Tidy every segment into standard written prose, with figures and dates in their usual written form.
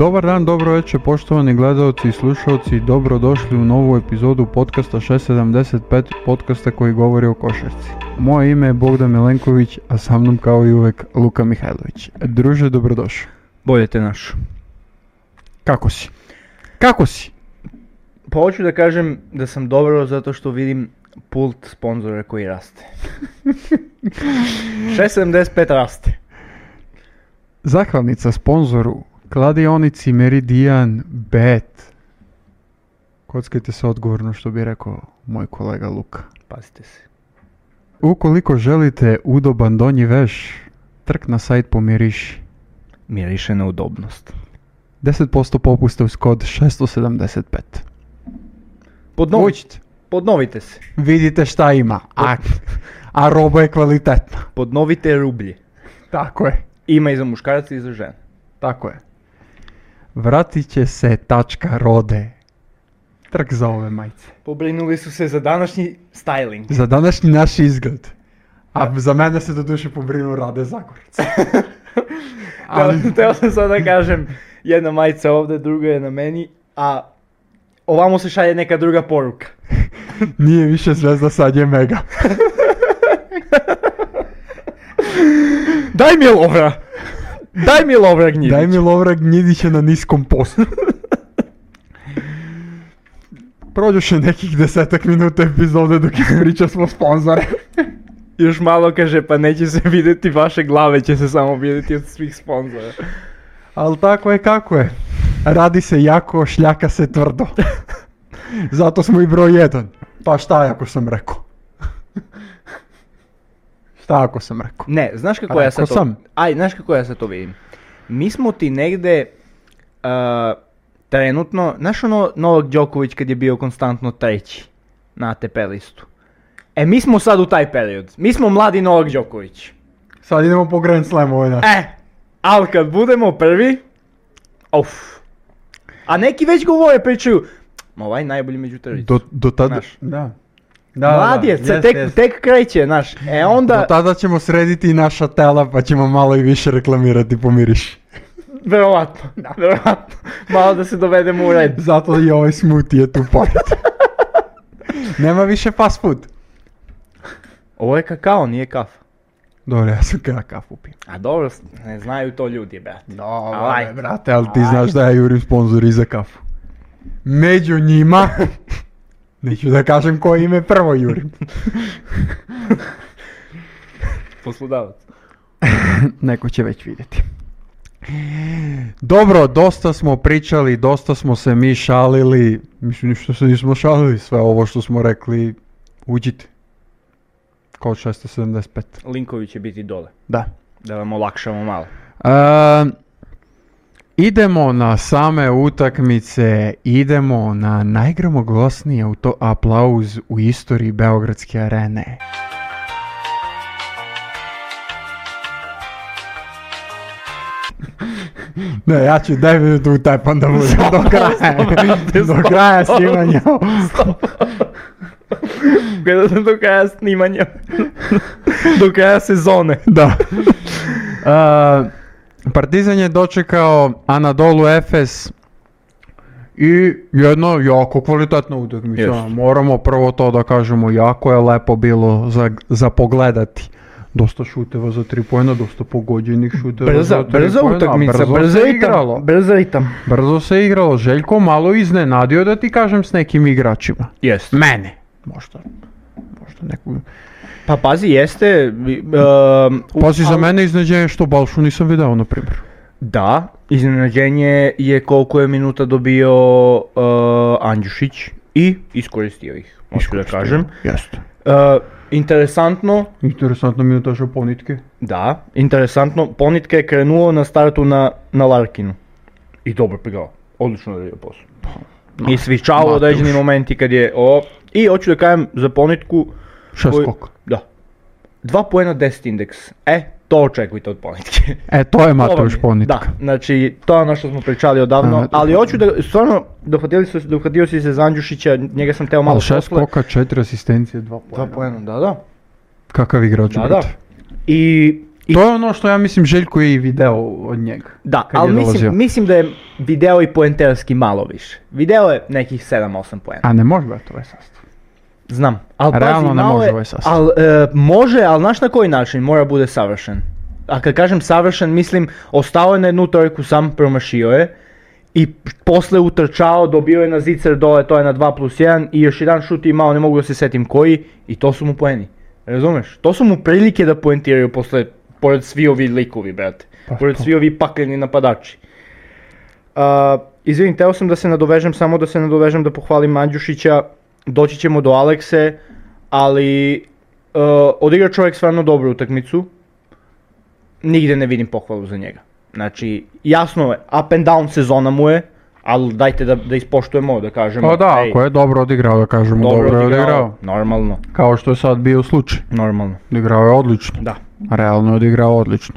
Dobar dan, dobro večer, poštovani gledalci i slušalci, dobrodošli u novu epizodu podcasta 675, podcasta koji govori o košarci. Moje ime je Bogdan Milenković, a sa mnom kao i uvek Luka Mihajlović. Druže, dobrodošao. Bolje te našo. Kako si? Kako si? Pa hoću da kažem da sam dobro zato što vidim pult sponzora koji raste. 675 raste. Zahvalnica sponzoru kladionici Meridian Bet. Kockajte se odgovorno, što bi rekao moj kolega Luka. Pazite se. Ukoliko želite udoban donji veš, trk na sajt pomiriši. Miriše na udobnost. 10% popusta uz kod 675. Podnovite se. Vidite šta ima, a roba je kvalitetna. Podnovite rublje. Tako je. Ima i za muškarca i za žene. Tako je. Vratit će se tačka rode. Trk za ove majice. Pobrinuli su se za današnji styling. Za današnji naš izgled. A za mene se do duše pobrinu Rade Zagorec. Teo sam sad da kažem, jedna majica ovdje, druga je na meni, a ovamo se šalje neka druga poruka. Nije više zvezda, sad je mega. Daj mi lovra! Daj mi lovra Gnjidić! Daj mi lovra Gnjidića na niskom postu. Prođoše nekih 10 minuta epizode dok ispriča smo sponzore. Još malo kaže, pa neće se vidjeti vaše glave, će se samo vidjeti od svih sponzora. Ali tako je kako je. Radi se jako, šljaka se tvrdo. Zato smo i broj 1. Pa šta ako sam rekao? Šta ako sam rekao? Ne, znaš kako ja sad to... znaš kako ja sad to vidim? Mi smo ti negde trenutno, znaš ono Novak Đoković kad je bio konstantno treći na ATP listu? Mi smo sad u taj period. Mi smo mladi Novak Đoković. Sad idemo po Grand Slamu ovaj naš. Ali kad budemo prvi, A neki već govore, pričaju, ma ovaj najbolji među trojicom. Do tada, Mlad je, tek kreće, znaš. Onda... Do tada ćemo srediti i naša tela, pa ćemo malo i više reklamirati, pomiriš. Verovatno. Malo da se dovedemo u red. Zato i ovaj smoothie je tu pored. Nema više fast food. Ovo je kakao, nije kafa. Dobro, ja sam kada kafu pijem. A dobro, ne znaju to ljudi, brate. Dobro, brate, ali ti znaš da ja jurim sponzori za kafu. Među njima, neću da kažem koje ime prvo jurim. Poslodavac. Neko će već vidjeti. Dobro, dosta smo pričali, dosta smo se mi šalili. Mislim, ništa se nismo šalili, sve ovo što smo rekli, uđite. Kod 675. Linkovi će biti dole. Da. Da vam olakšamo malo. Idemo na same utakmice, idemo na najgromoglasniji aplauz u istoriji Beogradske arene. Ne, ja ću 9 minuta utepan da budem do kraja snimanja. Gledao sam do kraja snimanja. Do kraja sezone. Da. Partizan je dočekao Anadolu Efes i jedno jako kvalitetna utakmica. Moramo prvo to da kažemo, jako je lepo bilo za pogledati. Dosta šuteva za 3 poena, dosta pogođenih šuteva za 3 poena. Brza utakmica, Brzo se igralo. Željko malo iznenadio, da ti kažem, s nekim igračima. Jeste. Mene. Možda neku... Pa pazi, jeste... Pazi, za mene iznenađenje što Balšu nisam video, na primjer. Da, iznenađenje je koliko je minuta dobio Andjušić i iskoristio ih, možda da kažem. Jeste. Interesantno minutaša Ponitke. Da, interesantno. Ponitke je krenuo na startu na Larkinu. I dobro prigao. Odlično radio posao. I svičao određeni momenti kad je... I hoću da kažem za Ponitku... 6 skoka. Da. 2 poena 10 indeks. To očekujte od Ponitke. To je Mateuš Ponitka. Da, znači to je ono što smo pričali odavno. Ali hoću da, stvarno, dohvatio si se za Andjušića, njega sam teo malo posle. 6 skoka, 4 asistencije, 2 poena. 2 poena, da. Kakav igrač, brate. I To je ono što ja mislim Željko je i video od njega. Da, kad ali je dolazio. mislim da je video i poenterski malo više. Video je nekih 7-8 poena. A ne može biti ovaj sastav. Znam, ali Realno pazi, ne malo može je, ovaj sastav. može, ali znaš na koji način mora bude savršen. A kad kažem savršen, mislim, ostao je na jednu trojku, sam promašio je i posle utrčao, dobio je na zicer dole, to je na 2+1 i još jedan šut imao, ne mogu da se setim koji, i to su mu poeni. Razumeš? To su mu prilike da poentiraju posle, pored svi ovi likovi, brate. Pored svi ovi pakleni napadači. Izvini, teo sam da se nadovežem, da pohvalim Mandjušića, doći ćemo do Alekse, ali odigra čovjek stvarno dobru utakmicu, nigde ne vidim pohvalu za njega. Znači, jasno je, up and down sezona mu je, ali dajte da ispoštujemo, da kažemo. Pa da, ako je dobro odigrao, da kažemo dobro je odigrao. Normalno. Kao što je sad bio slučaj. Normalno. Odigrao je odlično. Da. Realno je odigrao odlično.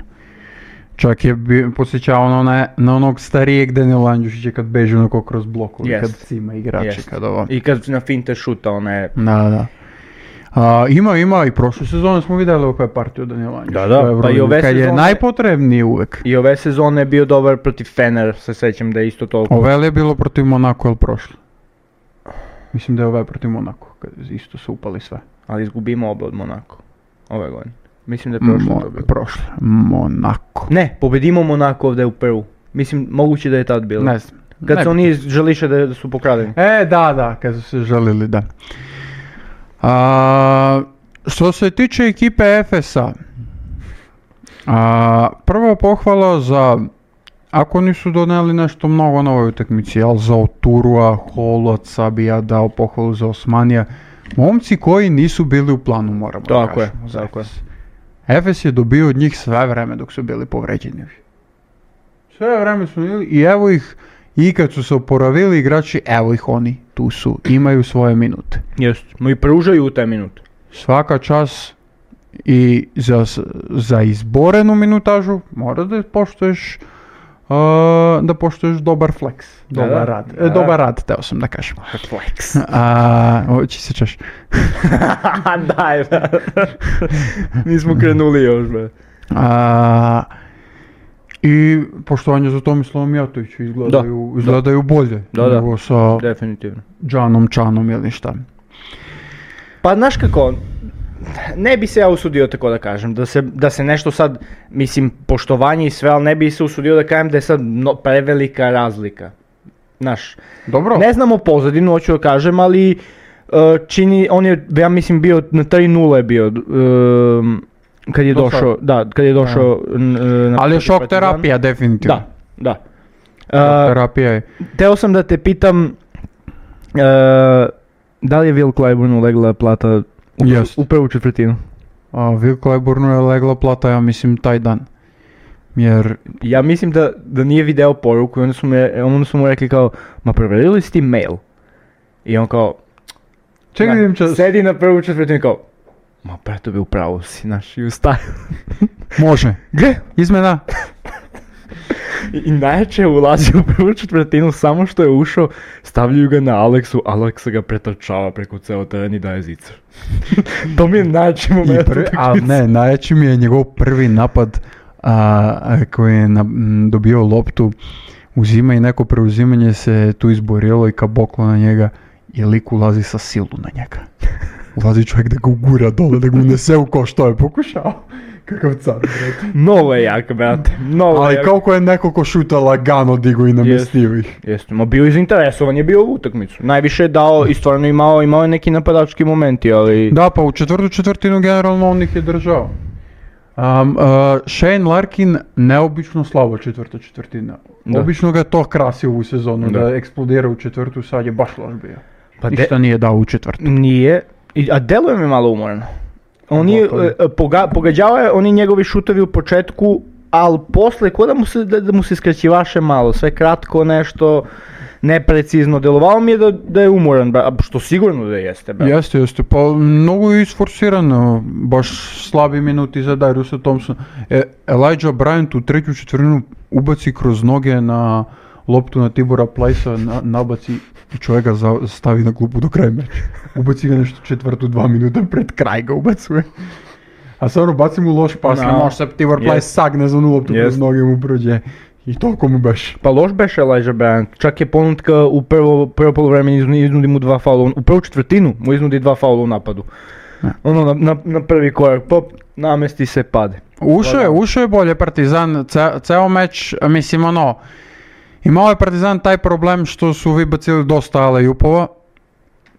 Čak je podsjećao na onog starijeg Danila Andjušića kad beži onako kroz blokovi, kad cima igrači, kad ovo. I kad na finte šuta, one... Da. Ima i prošle sezone smo vidjeli oko je partiju Danila Andjušića. Da, pa i ove kad sezone... je najpotrebniji uvek. I ove sezone je bio dobar protiv Fener, se sećam da je isto toliko. Ove je bilo protiv Monako, ili prošle? Mislim da je ove protiv Monako, kad isto su upali sve. Ali izgubimo obe od Monako, ove godine. Mislim da je prošle to bilo. Prošle, Monako. Ne, pobedimo Monako ovdje u Peru. Mislim, moguće da je tad bilo. Ne znam. Kad su oni želiše da su pokradeni. Da, kad su se želili, da. Što se tiče ekipe Efesa, prvo pohvala za, ako nisu doneli nešto mnogo na ovoj utakmici, ali za Oturua, Holoca bi ja dao pohvalu za Osmanija, momci koji nisu bili u planu, moramo da kažemo. Tako je. Efes je dobio od njih sve vreme dok su bili povređeni. Sve vreme su bili i evo ih, i kad su se oporavili igrači, evo ih oni, tu su, imaju svoje minute. Jeste, i pružaju u te minute. Svaka čas i za izborenu minutažu mora da poštuješ dobar flex, dobar rad. Dobar rad, teo sam da kažem. Flex. Oći se češ. Daj, nismo krenuli još, be. I poštovanje za Tomislavom Mijatoviću, izgledaju bolje nego sa definitivno. Džanom Čanom ili šta. Pa znaš kako, ne bi se ja usudio tako da kažem, da se nešto sad, mislim, poštovanje i sve, ali ne bi se usudio da kažem da je sad prevelika razlika. Znaš, dobro. Ne znamo pozadinu, hoću da kažem, ali on je, ja mislim, bio na 3-0 je bio, kad je došao, ali je šok terapija, definitivno. Da. Šok terapija je. Teo sam da te pitam, da li je Will Clyburnu legla plata u prvu četvrtinu? Will Clyburnu je legla plata, ja mislim, taj dan. Jer... Ja mislim da nije video poruku i onda su mu rekli kao, ma provjerili si ti mail? I on kao, sedi na prvu četvrtinu kao, ma preto bi upravo si, znaš, i ustaje. Može. Gle, izmena. I najjače je ulazio u prvu četvrtinu, samo što je ušao, stavljaju ga na Aleksu, Aleksa ga pretrčava preko ceo teren i daje zicer. To mi je najjači moment. Najjači mi je njegov prvi napad koji je dobio loptu, uzima i neko preuzimanje se tu izborilo i kaboklo na njega i lik ulazi sa silu na njega. Ulazi čovjek da ga ugura dole, da ga unese u ko što je pokušao. Kakav car, brate. Novo je jak, brate. Ali kako je neko ko šuta lagano digo i namestio ih. Jeste, ma bio izinteresovan je bio u utakmicu. Najviše je dao i stvarno imao je neki napadački momenti, ali... Da, pa u četvrtinu generalno on ih je držao. Shane Larkin neobično slabo četvrtina. Obično ga je to krasio ovu sezonu, da eksplodira u četvrtu, sad je baš loš bio. Pa ništa nije dao u četvrtu. Nije, a deluje mi malo umorno. Pogađao je oni njegovi šutovi u početku, ali posle da mu se skraćivaše malo, sve kratko nešto, neprecizno, delovalo mi je da je umoran, što sigurno da jeste. Jeste, pa mnogo je isforsirano, baš slabi minuti za Dariusa Thompsona. Elijah Bryant u treću četvrtinu ubaci kroz noge na loptu na Tibora Plycea, nabaci i čovjek ga stavi na klupu do kraja meča. Ubaci ga nešto četvrtu 2 minuta pred kraj ga ubacuje. A stvarno baci mu loš pas, ne može se Tibor Plyce sagne za loptu kroz noge mu prođe. I toliko mu beš. Pa loš beš Elijah Bryant, čak je ponutka u prvo poluvreme iznudi mu 2 faula, u prvu četvrtinu mu iznudi 2 faula u napadu. Ono na prvi korak, pop, namesti se, pade. Ušao je bolje Partizan, ceo meč, mislim imao je Partizan taj problem što su vybacili dosta alley-oopova,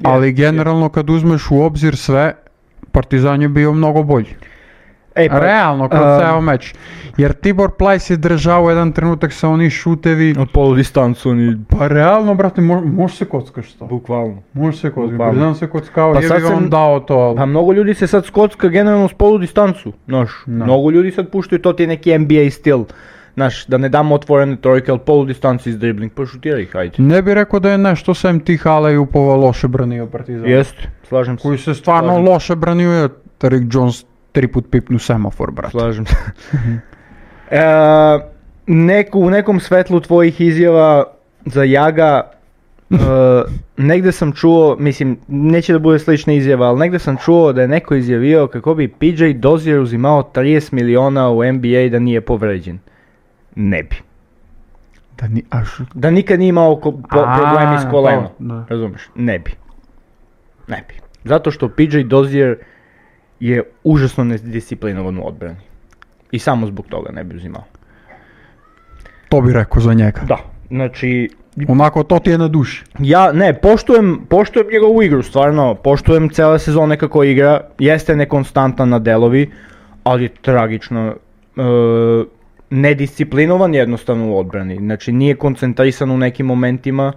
ali generalno kad uzmeš u obzir sve, Partizan je bio mnogo bolji. Realno, kroz ceo meč. Jer Tibor Plyce je držao jedan trenutak sa oni šutevi. Od polu distancu oni... Pa realno, brate, može se kockaš to. Bukvalno. Može se kockaš, Partizan se kockao, pa je bi on dao to. Pa mnogo ljudi se sad skocka generalno s polu distancu, znaš. Mnogo ljudi sad puštaju, to ti je neki NBA stil. Znaš, da ne damo otvorene trojke, ali polu distanci iz dribling, pa šutira ih, hajde. Ne bi rekao da je nešto sem tih alley-oopova loše branio Partizan. Jeste, slažem se. Koji se stvarno loše branio je Rick Jones 3 put pipnu semafor, brate. Slažem se. U nekom svetlu tvojih izjava za Jaga, negde sam čuo, mislim, neće da bude slična izjava, ali negde sam čuo da je neko izjavio kako bi PJ Dozier uzimao 30 miliona u NBA da nije povređen. Ne bi. Da nikad nije imao problemi s kolenom. Razumeš? Ne bi. Zato što PJ Dozier je užasno nedisciplinovan u odbrani. I samo zbog toga ne bi uzimao. To bi rekao za njega. Da, znači... Onako, to ti je na duši. Ja, ne, poštujem njegovu igru, stvarno, poštujem cijele sezone kako igra, jeste nekonstantan na delovi, ali je tragično nedisciplinovan jednostavno u odbrani, znači nije koncentrisan u nekim momentima,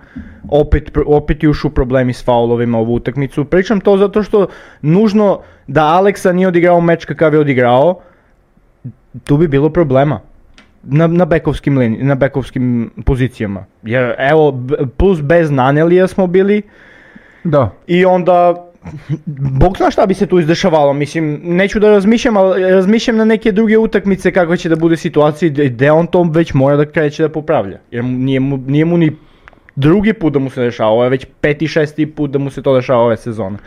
opet jušu problemi s faulovima u utakmicu, pričam to zato što nužno da Aleksa nije odigrao meč kakav je odigrao, tu bi bilo problema. Na bekovskim pozicijama. Jer evo, plus bez Nanelija smo bili. Da. I onda, Bog zna šta bi se tu izdešavalo. Mislim, neću da razmišljam, ali razmišljam na neke druge utakmice kakva će da bude situacija gdje on to već mora da kreće da popravlja. Jer nije mu ni drugi put da mu se dešava, ovo je već 5. 6. put da mu se to dešava ove sezone.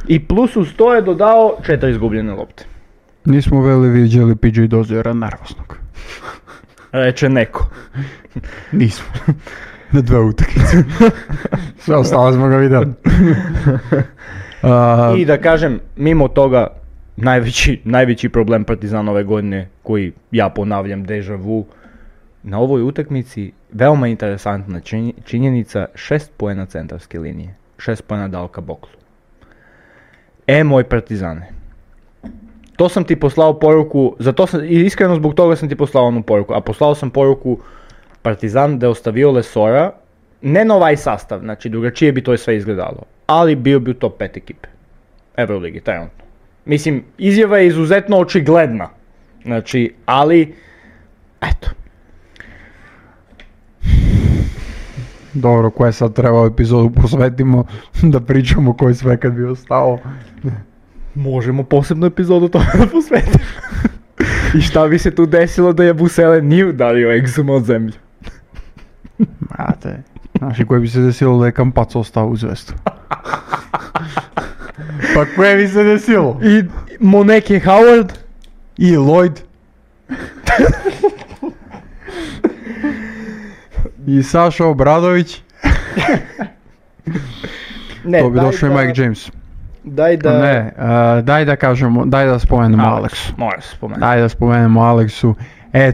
I plus uz to je dodao 4 izgubljene lopte. Nismo viđali PJ Doziera nervoznog. Reče neko. Nismo. Na 2 utakmice. Sve ostalo smo ga vidjeli. I da kažem, mimo toga, najveći problem Partizana ove godine, koji ja ponavljam deja vu, na ovoj utakmici veoma interesantna činjenica, 6 poena centarske linije. 6 poena dao ka Boklu. Moj Partizane. To sam ti poslao poruku, iskreno zbog toga sam ti poslao onu poruku, a poslao sam poruku Partizan da je ostavio Lesora, ne na ovaj sastav, znači drugačije bi to sve izgledalo, ali bio bi u top 5 ekipe Euroligi, trenutno. Mislim, izjava je izuzetno očigledna, znači, ali, eto. Dobro, koje sad treba epizodu posvetimo da pričamo koji sve kad bi ostao. Možemo posebnu epizodu toga da posvetimo. I šta bi se tu desilo da je Busele nije udario egzum od zemlje? Mate, znaš i koje bi se desilo da je Kampac ostao u Zvezdu? Pa koje bi se desilo? I Moneke Howard? I Lloyd? I Saša Obradović? Ne, to bi došao i Mike James. Daj da kažemo, daj da spomenemo Aleksu. Mora se spomenuti. Daj da spomenemo Aleksu.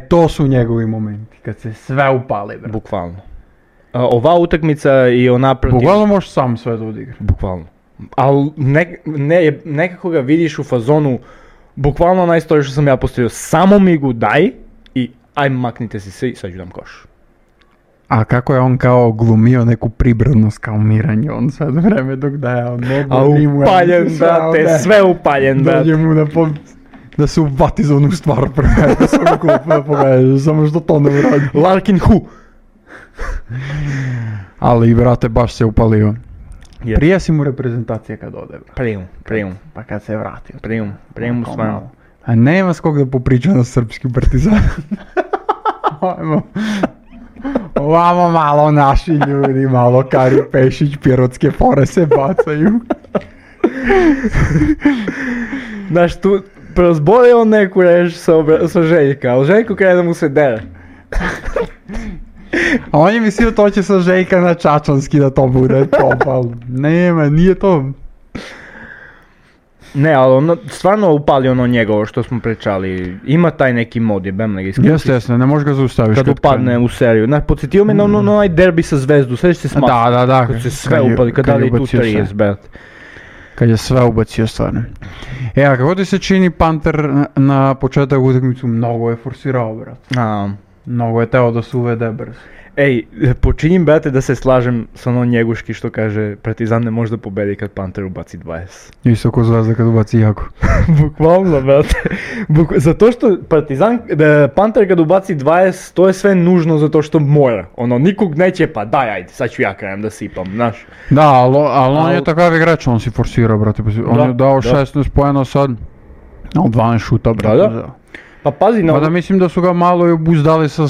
To su njegovi momenti, kad se sve upali, bre. Bukvalno. Ova utakmica i ona protiv... Bukvalno možeš sam sve da odigra. Bukvalno. Ali nekako ga vidiš u fazonu, bukvalno najstorije što sam ja postavio, samo mi gu daj i ajme maknite se svi, sad ću dam koš. A kako je on kao glumio neku pribranost kao Miranje, on sad vreme dok daje on nogu. A upaljen brate, sve upaljen brate. Dođe mu da se uvati za onu stvar prve, da se onu klupu da pogledaju, samo što to ne uradi. Larkin Hu. Ali brate, baš se upalio. Yes. Prije si mu reprezentacija kad ode, brate. Prijum. Pa kad se vratio. Prijum stvarno. A nema s kog da popriča na srpski Partizan. Ovamo malo naši ljudi, malo Kari Pešić, pirotske fore se bacaju. Znaš, Prozbori on neku reč sa Željka, ali Željko krene da mu se dere. A on je mislio to će sa Željka na Čačanski da to bude top, ali nema, nije to. Ne, ali ono, stvarno upali ono njegovo što smo pričali, ima taj neki mod, jebem ga iskusi. Jeste, ne možeš ga zaustaviš kad upadne u seriju. Podsjetio me na onaj derbi sa Zvezdu, sveći se smatio. Da. Kad se sve upali, kad dali tu 30, brate. Kad je sve ubacio stvarno. A kako ti se čini Panter na početak utakmicu mnogo je forsirao, brat. Mnogo je teo da se uvede brzo. Ej, počinjem, brate, da se slažem sa onom Njeguški što kaže Partizan ne može da pobedi kad Panter ubaci 20. Isto ko Zvezda kad ubaci jako. Bukvalno, brate. Zato što Panter kad ubaci 20, to je sve nužno zato što mora. Ono, nikog neće pa daj, ajde, sad ću ja krajem da sipam, znaš. Da, ali on je takav igrač, on si forsirao, brate. On je dao 16 poena sad, 12 šuta, brate. Da. Pa pazi na... da mislim da su ga malo i obuzdali sa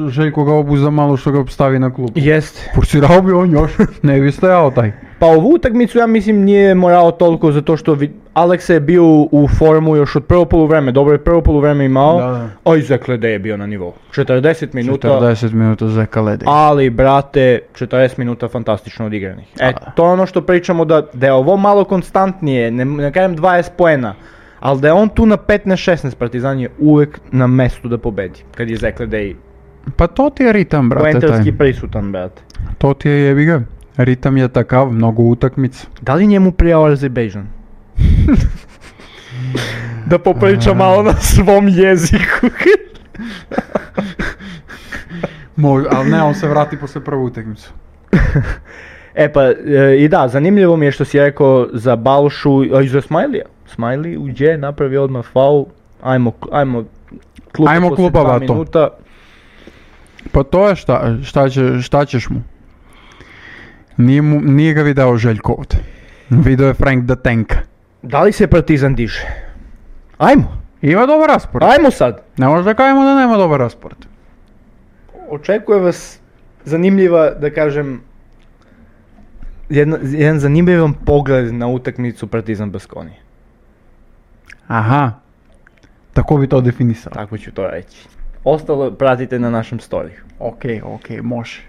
Željko ga obuzda malo što ga stavi na klub. Jest. Forsirao bi on još, ne bi stajao taj. Pa ovu utakmicu ja mislim nije morao toliko zato što Aleksa je bio u formu još od prvo poluvreme, dobro je prvo poluvreme imao, a i Zek Ledej je bio na nivou. 40 minuta. 40 minuta Zeka Ledej. Ali brate, 40 minuta fantastično odigranih. To je ono što pričamo da je ovo malo konstantnije, ne kažem 20 poena. Ali da je on tu na 15-16, Partizan je uvek na mestu da pobedi, kad je Zek Ledej. Pa to ti je ritam, brate. Poentarski prisutan, brate. To ti je jebiga. Ritam je takav, mnogo utakmica. Da li njemu prijao Azerbejdžan? Da popriča malo na svom jeziku. Ali ne, on se vrati posle prvu utakmicu. I da, zanimljivo mi je što si rekao za Balšu i za Smajlija. Smajli uđe, napravi odmah faul, ajmo kluba posle 2 minuta. Pa to je šta ćeš mu? Nije ga video Željko ovdje. Video je Frank the Tank. Da li se Partizan diže? Ajmo! Ima dobar raspored. Ajmo sad! Ne možda da kažemo da nema dobar raspored. Očekuje vas zanimljiva, da kažem, jedan zanimljivan pogled na utakmicu Partizan Baskonije. Aha, tako bi to definisao. Tako ću to reći. Ostalo pratite na našem storiju. Ok, može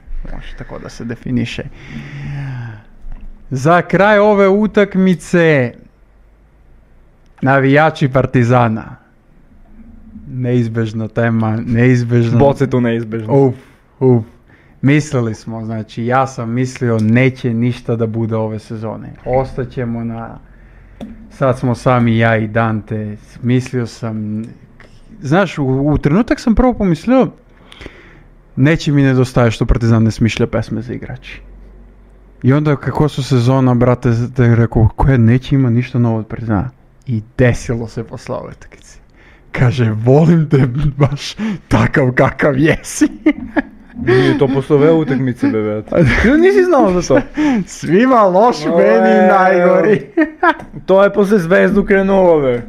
tako da se definiše. Za kraj ove utakmice, navijači Partizana. Neizbežna tema, neizbežna... Bocetu neizbežno. Mislili smo, znači ja sam mislio neće ništa da bude ove sezone. Ostaćemo na... Sad smo sami ja i Dante, mislio sam... Znaš, u trenutak sam prvo pomislio neće mi nedostaje što Partizan ne smišlja pesme za igrači. I onda kako su sezona, brate, da je rekao, koje neće ima ništa novo od Partizana. I desilo se posle ove utakmice. Kaže, volim te baš takav kakav jesi. Nije to posle ove utakmice, bebe. Nisi znao za to. Svima loš, meni najgori. To je posle Zvezdu krenulo, be.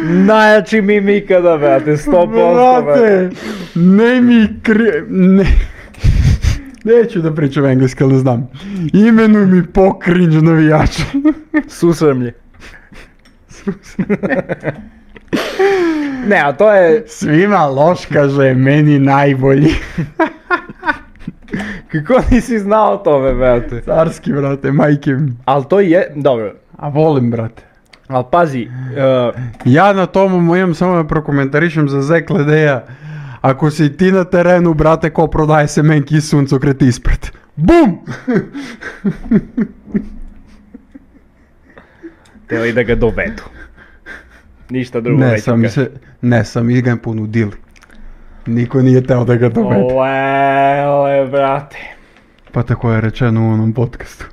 Najjači mim ikada, brate, 100%, brate. Neću da pričam engleski, ali ne znam. Imenuj mi po cringe navijača. Susremlje. Ne, a to je... Svima loš, kaže, meni najbolji. Kako nisi znao tome, brate? Carski, brate, majke mi. Ali to je, dobro. A volim, brate. Ali pazi... Ja na tomu imam samo da prokomentarišem za Zek Ledeja. Ako si ti na terenu, brate, ko prodaje semenki i suncokret ispred. BUM! Teo da ga dovedu. Ništa drugo neću kaži. Ne, sami ga ponudili. Niko nije teo da ga dovede. Ole, brate. Pa tako je rečeno u onom podcastu.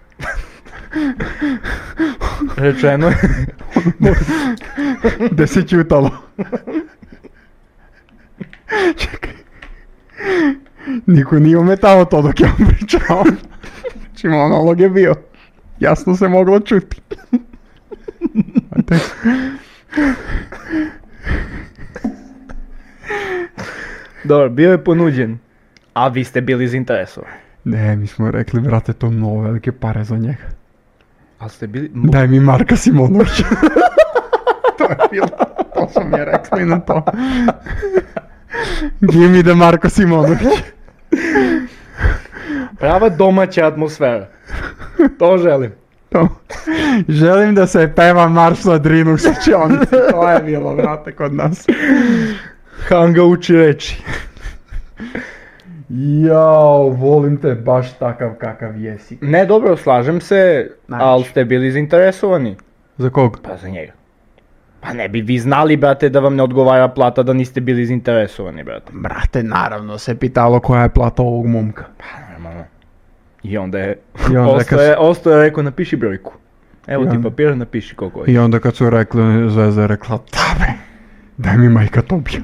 Rečeno je? Da se čutalo. Čekaj. Niko nije ometao to dok ja pričao. Znači monolog je bio. Jasno se moglo čuti. Dobro, bio je ponuđen, a vi ste bili zainteresovani. Ne, mi smo rekli, brate, to mnogo velike pare za njega. Ali ste bili... Daj mi Marka Simonovića. To je bilo, to smo mi je rekli na to. Give me the Marko Simonović. Prava domaća atmosfera. To želim. To. Želim da se peva marš na Drinu u Šačionici. To je bilo, brate, kod nas. Hanga uči reči. Jao, volim te baš takav kakav jesi. Ne, dobro, slažem se, ali ste bili zainteresovani. Za kog? Pa za njega. Pa ne bi vi znali, brate, da vam ne odgovara plata da niste bili zainteresovani, brate. Brate, naravno se pitalo koja je plata ovog momka. Pa normalno. I onda je, I ostao je rekao napiši brojku. Evo I ti onda- papir, napiši koliko je. I onda kad su rekli, Zvezda je rekla, dabre, daj mi majka Tobija.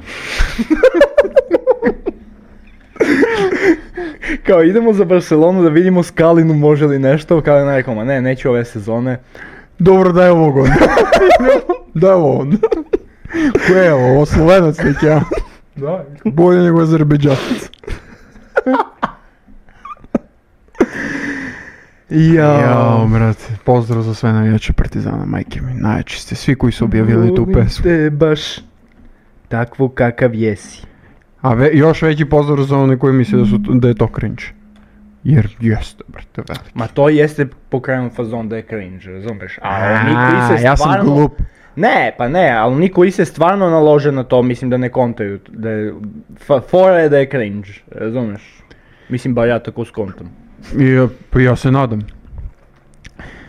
Kao idemo za Barcelonu da vidimo Skalinu može li nešto, Kalina je rekao, ma ne, neću ove sezone. Dobro, daj ovog onda. Daj ovo onda. Ko je ovo Slovenac neki, ja? Da, bolje nego Azerbejdžanac. Jao, brate, pozdrav za sve navijače Partizana, majke mi, najjači ste, svi koji su objavili tu pesmu. Te baš takvu kakav jesi. A još veći pozdrav za one koji misle da je to cringe. Jer jeste, brate, veliki. Ma to jeste pokrenut fazon da je cringe, razumeš? A oni koji se ja sam stvarno... glup. Ne, pa ne, ali oni koji se stvarno nalože na to, mislim da ne kontaju, da je... Fora je da je cringe, razumeš? Mislim, bar ja tako skontam. Ja se nadam.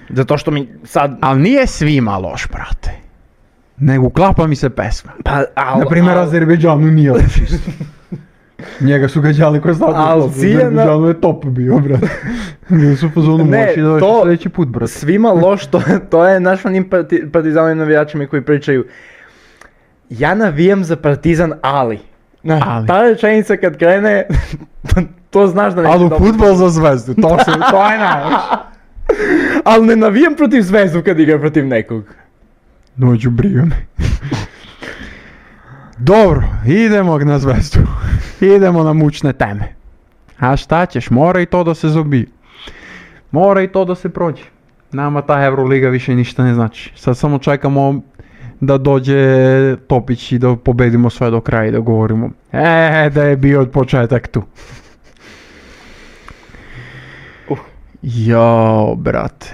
Zato što mi sad... Ali nije svima loš, brate. Nego uklapa mi se pesma. Pa, Naprimjer, Azerbejdžanu nije loš isto. Njega su gađali kroz Al tako. ciljena- Azerbejdžanu je top bio, brate. Bili su u fazonu Ne, moći da to- sljedeći put, brate. Svima loš, to je naš onim partizanovim navijačima koji pričaju ja navijam za Partizan, ali. Ali. Ta rečenica kad krene, to znaš da neće Ali u dobro. fudbal za Zvezdu, to je najloš. Ali ne navijam protiv Zvezdu kad igra protiv nekog. Dođu briga me. Dobro, idemo na Zvezdu. Idemo na mučne teme. A šta ćeš, mora i to da se zobije. Mora i to da se prođe. Nama ta Euroliga više ništa ne znači. Sad samo čekamo da dođe Topić i da pobedimo sve do kraja i da govorimo da je bio od početak tu. Jao, brate.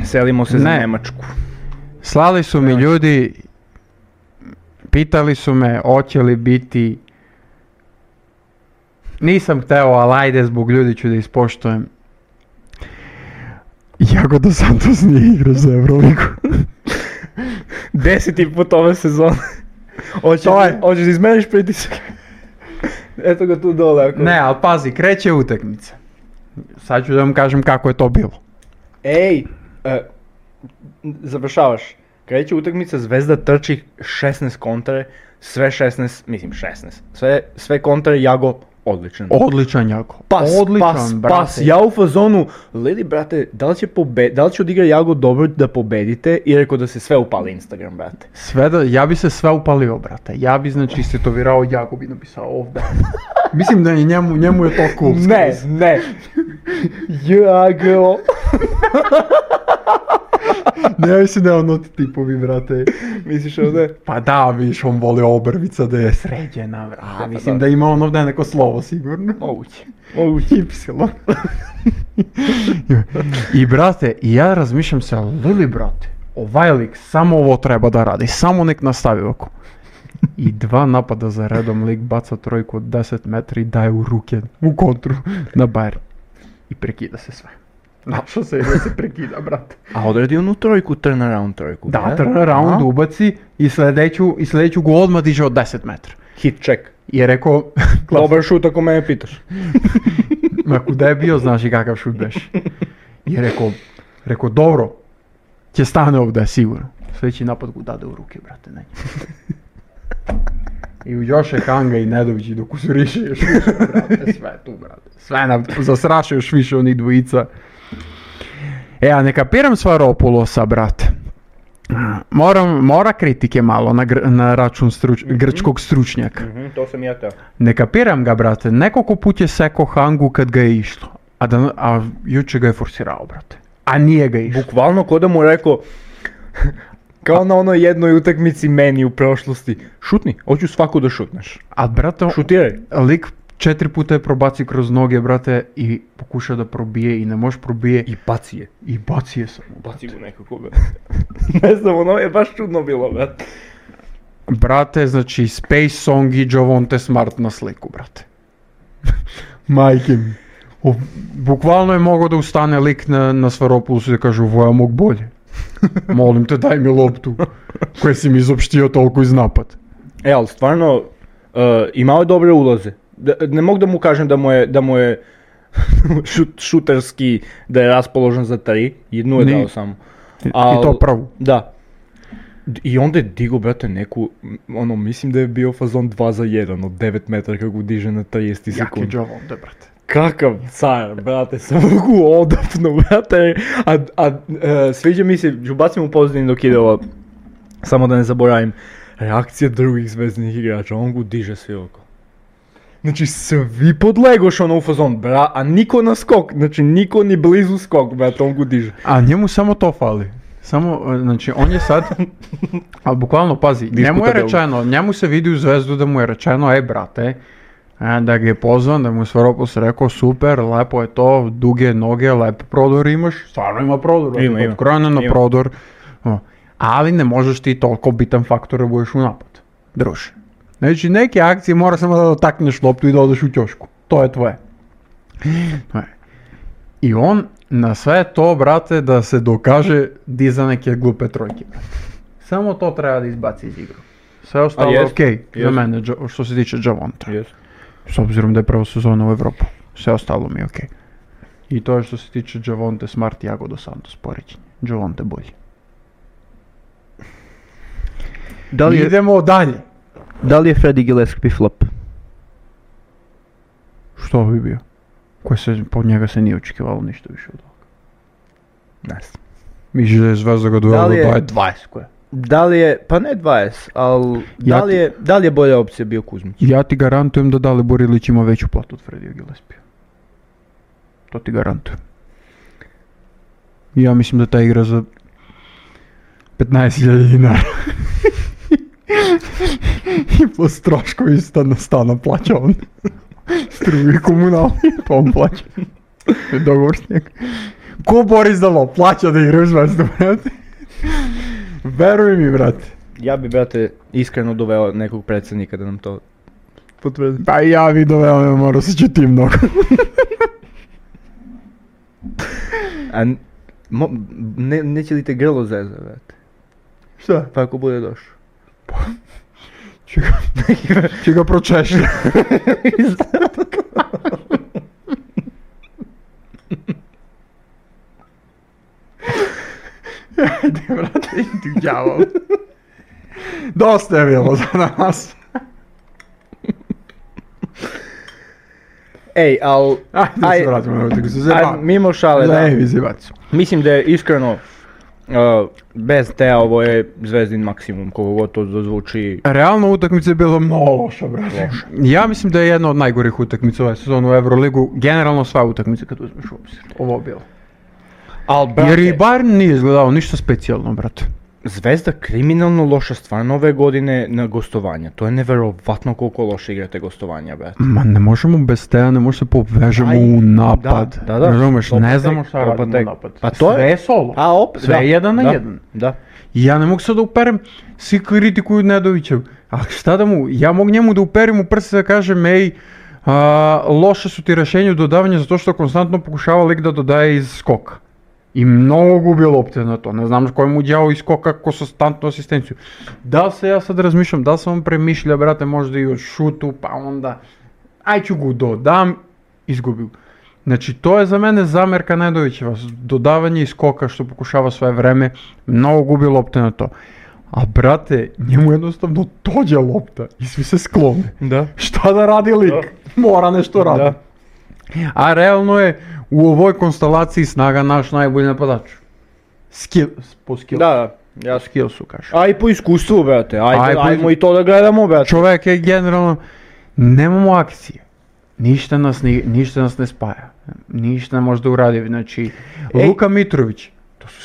Selimo se za Ne. Njemačku. Slali su mi ljudi, pitali su me hoće li biti, nisam hteo, ali ajde zbog ljudi ću da ispoštujem. Jagoda Santos nije igrao za Euroligu. 10. put ove sezone. Hoćeš da izmeniš pritisak? Eto ga tu dole. Ako... Ne, ali pazi, kreće utakmica. Sad ću da vam kažem kako je to bilo. Ej, završavaš. Kreće utakmica, Zvezda trči 16 kontre, sve 16, mislim 16. Sve kontre, Jago odličan. Odličan Jago. Odličan, brate. Ja u fazonu, Lili, brate, da li će odigra Jago dobro da pobedite i rekao da se sve upali Instagram, brate. Ja bi se sve upalio, brate. Ja bi znači istetovirao Jago bi napisao ovdje. Mislim da je njemu je to cool. Ne. Jago. Ne mislim da je ono ti tipovi, brate. Misliš ovdje? Pa da, viš, on voli obrvica da je sređena, brate. Mislim da ima on ovdje neko slovo, sigurno. Moguće. Ypsilon. I brate, ja razmišljam se, Lili, brate, ovaj lik samo ovo treba da radi, samo nek nastavi ovako. I 2 napada za redom, lik baca trojku od 10 metri i daje u ruke, u kontru, na Bayern. I prekida se sve. Našao se da se prekida, brate. A odradi onu trojku, turnaround trojku. Da, turnaround ubaci i sljedeću go odmah diže od 10 metra. Hit check. I je rekao, Dobar šut ako me pitaš. ma kuda je bio, znaš i kakav šut beš. I je rekao, dobro, će stane ovdje, sigurno. Sljedeći napad go dade u ruke, brate, ne. I u Joše Hanga i Nedović i dok usuriše još više, brate, sve tu, brate. Sve nam zasraše još više onih dvojica. A ne kapiram Svaropulosa, brate. Mora kritike malo na račun grčkog stručnjaka. To sam ja teo. Ne kapiram ga, brate. Nekoliko put je seko Hangu kad ga je išlo. A juče ga je forsirao, brate. A nije ga išlo. Bukvalno ko da mu rekao Kao na onoj jednoj utakmici meni u prošlosti. Šutni, hoću svaku da šutneš. A brate, Šutiraj. lik 4 puta je probaci kroz noge, brate, i pokuša da probije i ne može probije I baci je. i baci je samo. Baci go nekako, brate. Ne znam, ono je baš čudno bilo, brate. Brate, znači Space Song i Javonte Smart na sliku, brate. Majke mi. Bukvalno je mogao da ustane lik na Svaropulusu i da kaže, ovo ja mog bolje. Molim te, daj mi loptu koje si mi izopštio toliko iz napad. Ali stvarno, imao je dobre ulaze. Ne mogu da mu kažem da mu je šuterski, da je raspoložen za 3, jednu je dao samo. I to prvu. Da. I onda je digo, brate, neku, mislim da je bio fazon 2 za 1 od 9 metara kako diže na 30 sekundi. Jaki Javonte, brate. Kakav car, brate, sam mogu odapnu, brate, sviđa mi se, ću bacim u pozadini dok ide ovo, samo da ne zaboravim, reakcija drugih zvezdnih igrača, on go diže svi oko. Znači, svi podlegoš u fazon, a niko na skok, znači niko ni blizu skok, brate, on go diže. A njemu samo to fali. Samo, znači, on je sad, ali bukvalno, pazi, njemu je rečeno, njemu se vidi u Zvezdu da mu je rečeno, brate, da ga je pozvan, da mu je Svaropoulos rekao, super, lepo je to, duge noge, lep prodor imaš, stvarno ima prodor, odkrojeno na prodor, ali ne možeš ti toliko bitan faktor da budeš u napad, druže. Znači, neke akcije mora samo da dotakneš loptu i da odeš u ćošku, to je tvoje. I on na sve to, brate, da se dokaže diza neke glupe trojke. Samo to treba da izbaci iz igru. Sve ostalo je okej za mene, što se tiče Javonta. S obzirom da je prva sezona u Evropu. Sve ostalo mi je okej. I to je što se tiče Javonte Smart i Iago dos Santos poređenje. Javonte bolji. Idemo dalje. Da li je Freddie Gillespie flop? Što bi bio? Pod njega se nije očekivalo ništa više od toga. Ne znam. Misliš da je Zvezda ga dovela do 20 koje? Da li je, pa ne 20, ali da li je bolja opcija bio Kuzmić? Ja ti garantujem da Dalibor Ilić ima veću platu od Freddie Gillespie. To ti garantujem. Ja mislim da ta igra za 15.000 dinara. I plus troškovi stana plaća on. Struju i komunalni, pa on plaća. Dogovor s njega. Ko Boris Dalo plaća da igra u Zvezdu, brate? Veruj mi, brate. Ja bi, brate, iskreno doveo nekog predsjednika da nam to potvrdi. Pa ja bi doveo, ne mora se će ti mnogo. A neće li te grlo zeza, brate? Šta? Pa ako bude došao. Će ga pročešlja. Ajde, brate, idi u đavo. Dosta je bilo za nas. Ej, al... Ajde se vratimo na utakmicu, zebam. Mimo šale, da. Levi zebac. Mislim da je iskreno, bez te ovo je Zvezdin maksimum, koliko god to zvuči. Realno utakmica je bila mnogo loša, brate. Ja mislim da je jedna od najgorih utakmica ove sezone u Euroligu. Generalno sva utakmica kad uzmeš u obzir. Ovo je bilo. Jer i Bayern nije izgledao ništa specijalno, brate. Zvezda kriminalno loša stvarno ove godine na gostovanja. To je neverovatno koliko loše igrate gostovanja, brate. Ma ne možemo bez teja, ne možemo se povežemo u napad. Da. Razumeš, ne znamo šta radimo u napad. Pa to sve je solo. Sve je jedan na jedan. Da. I ja ne mogu sad da uperem, svi kritikuju Nedovića. A šta da mu, ja mogu njemu da uperim u prse da kažem, ej, loše su ti rešenje u dodavanju zato što konstantno pokušava lik da dodaje iz skoka. I mnogo gubi lopte na to, ne znam koji mu đavo iz skoka konstantnu asistenciju. Da li se ja sad razmišljam, da li sam on premišlja, brate, možda i od šutu, pa onda, aj ću go dodam, izgubio. Znači, to je za mene zamerka Nedovićeva, dodavanje iz skoka što pokušava sve vreme, mnogo gubi lopte na to. A brate, njemu jednostavno dođe lopta i svi se sklone. Da. Šta da radi lik? Mora nešto raditi. A realno je u ovoj konstelaciji snaga naš najbolji napadač. Po skillsu. Da, ja skillsu kažem. A i po iskustvu, brate, ajmo i to da gledamo, brate. Čovjek je generalno, nemamo akcije. Ništa nas ne spaja. Ništa ne može da uradi. Znači, Luka Mitrović, To su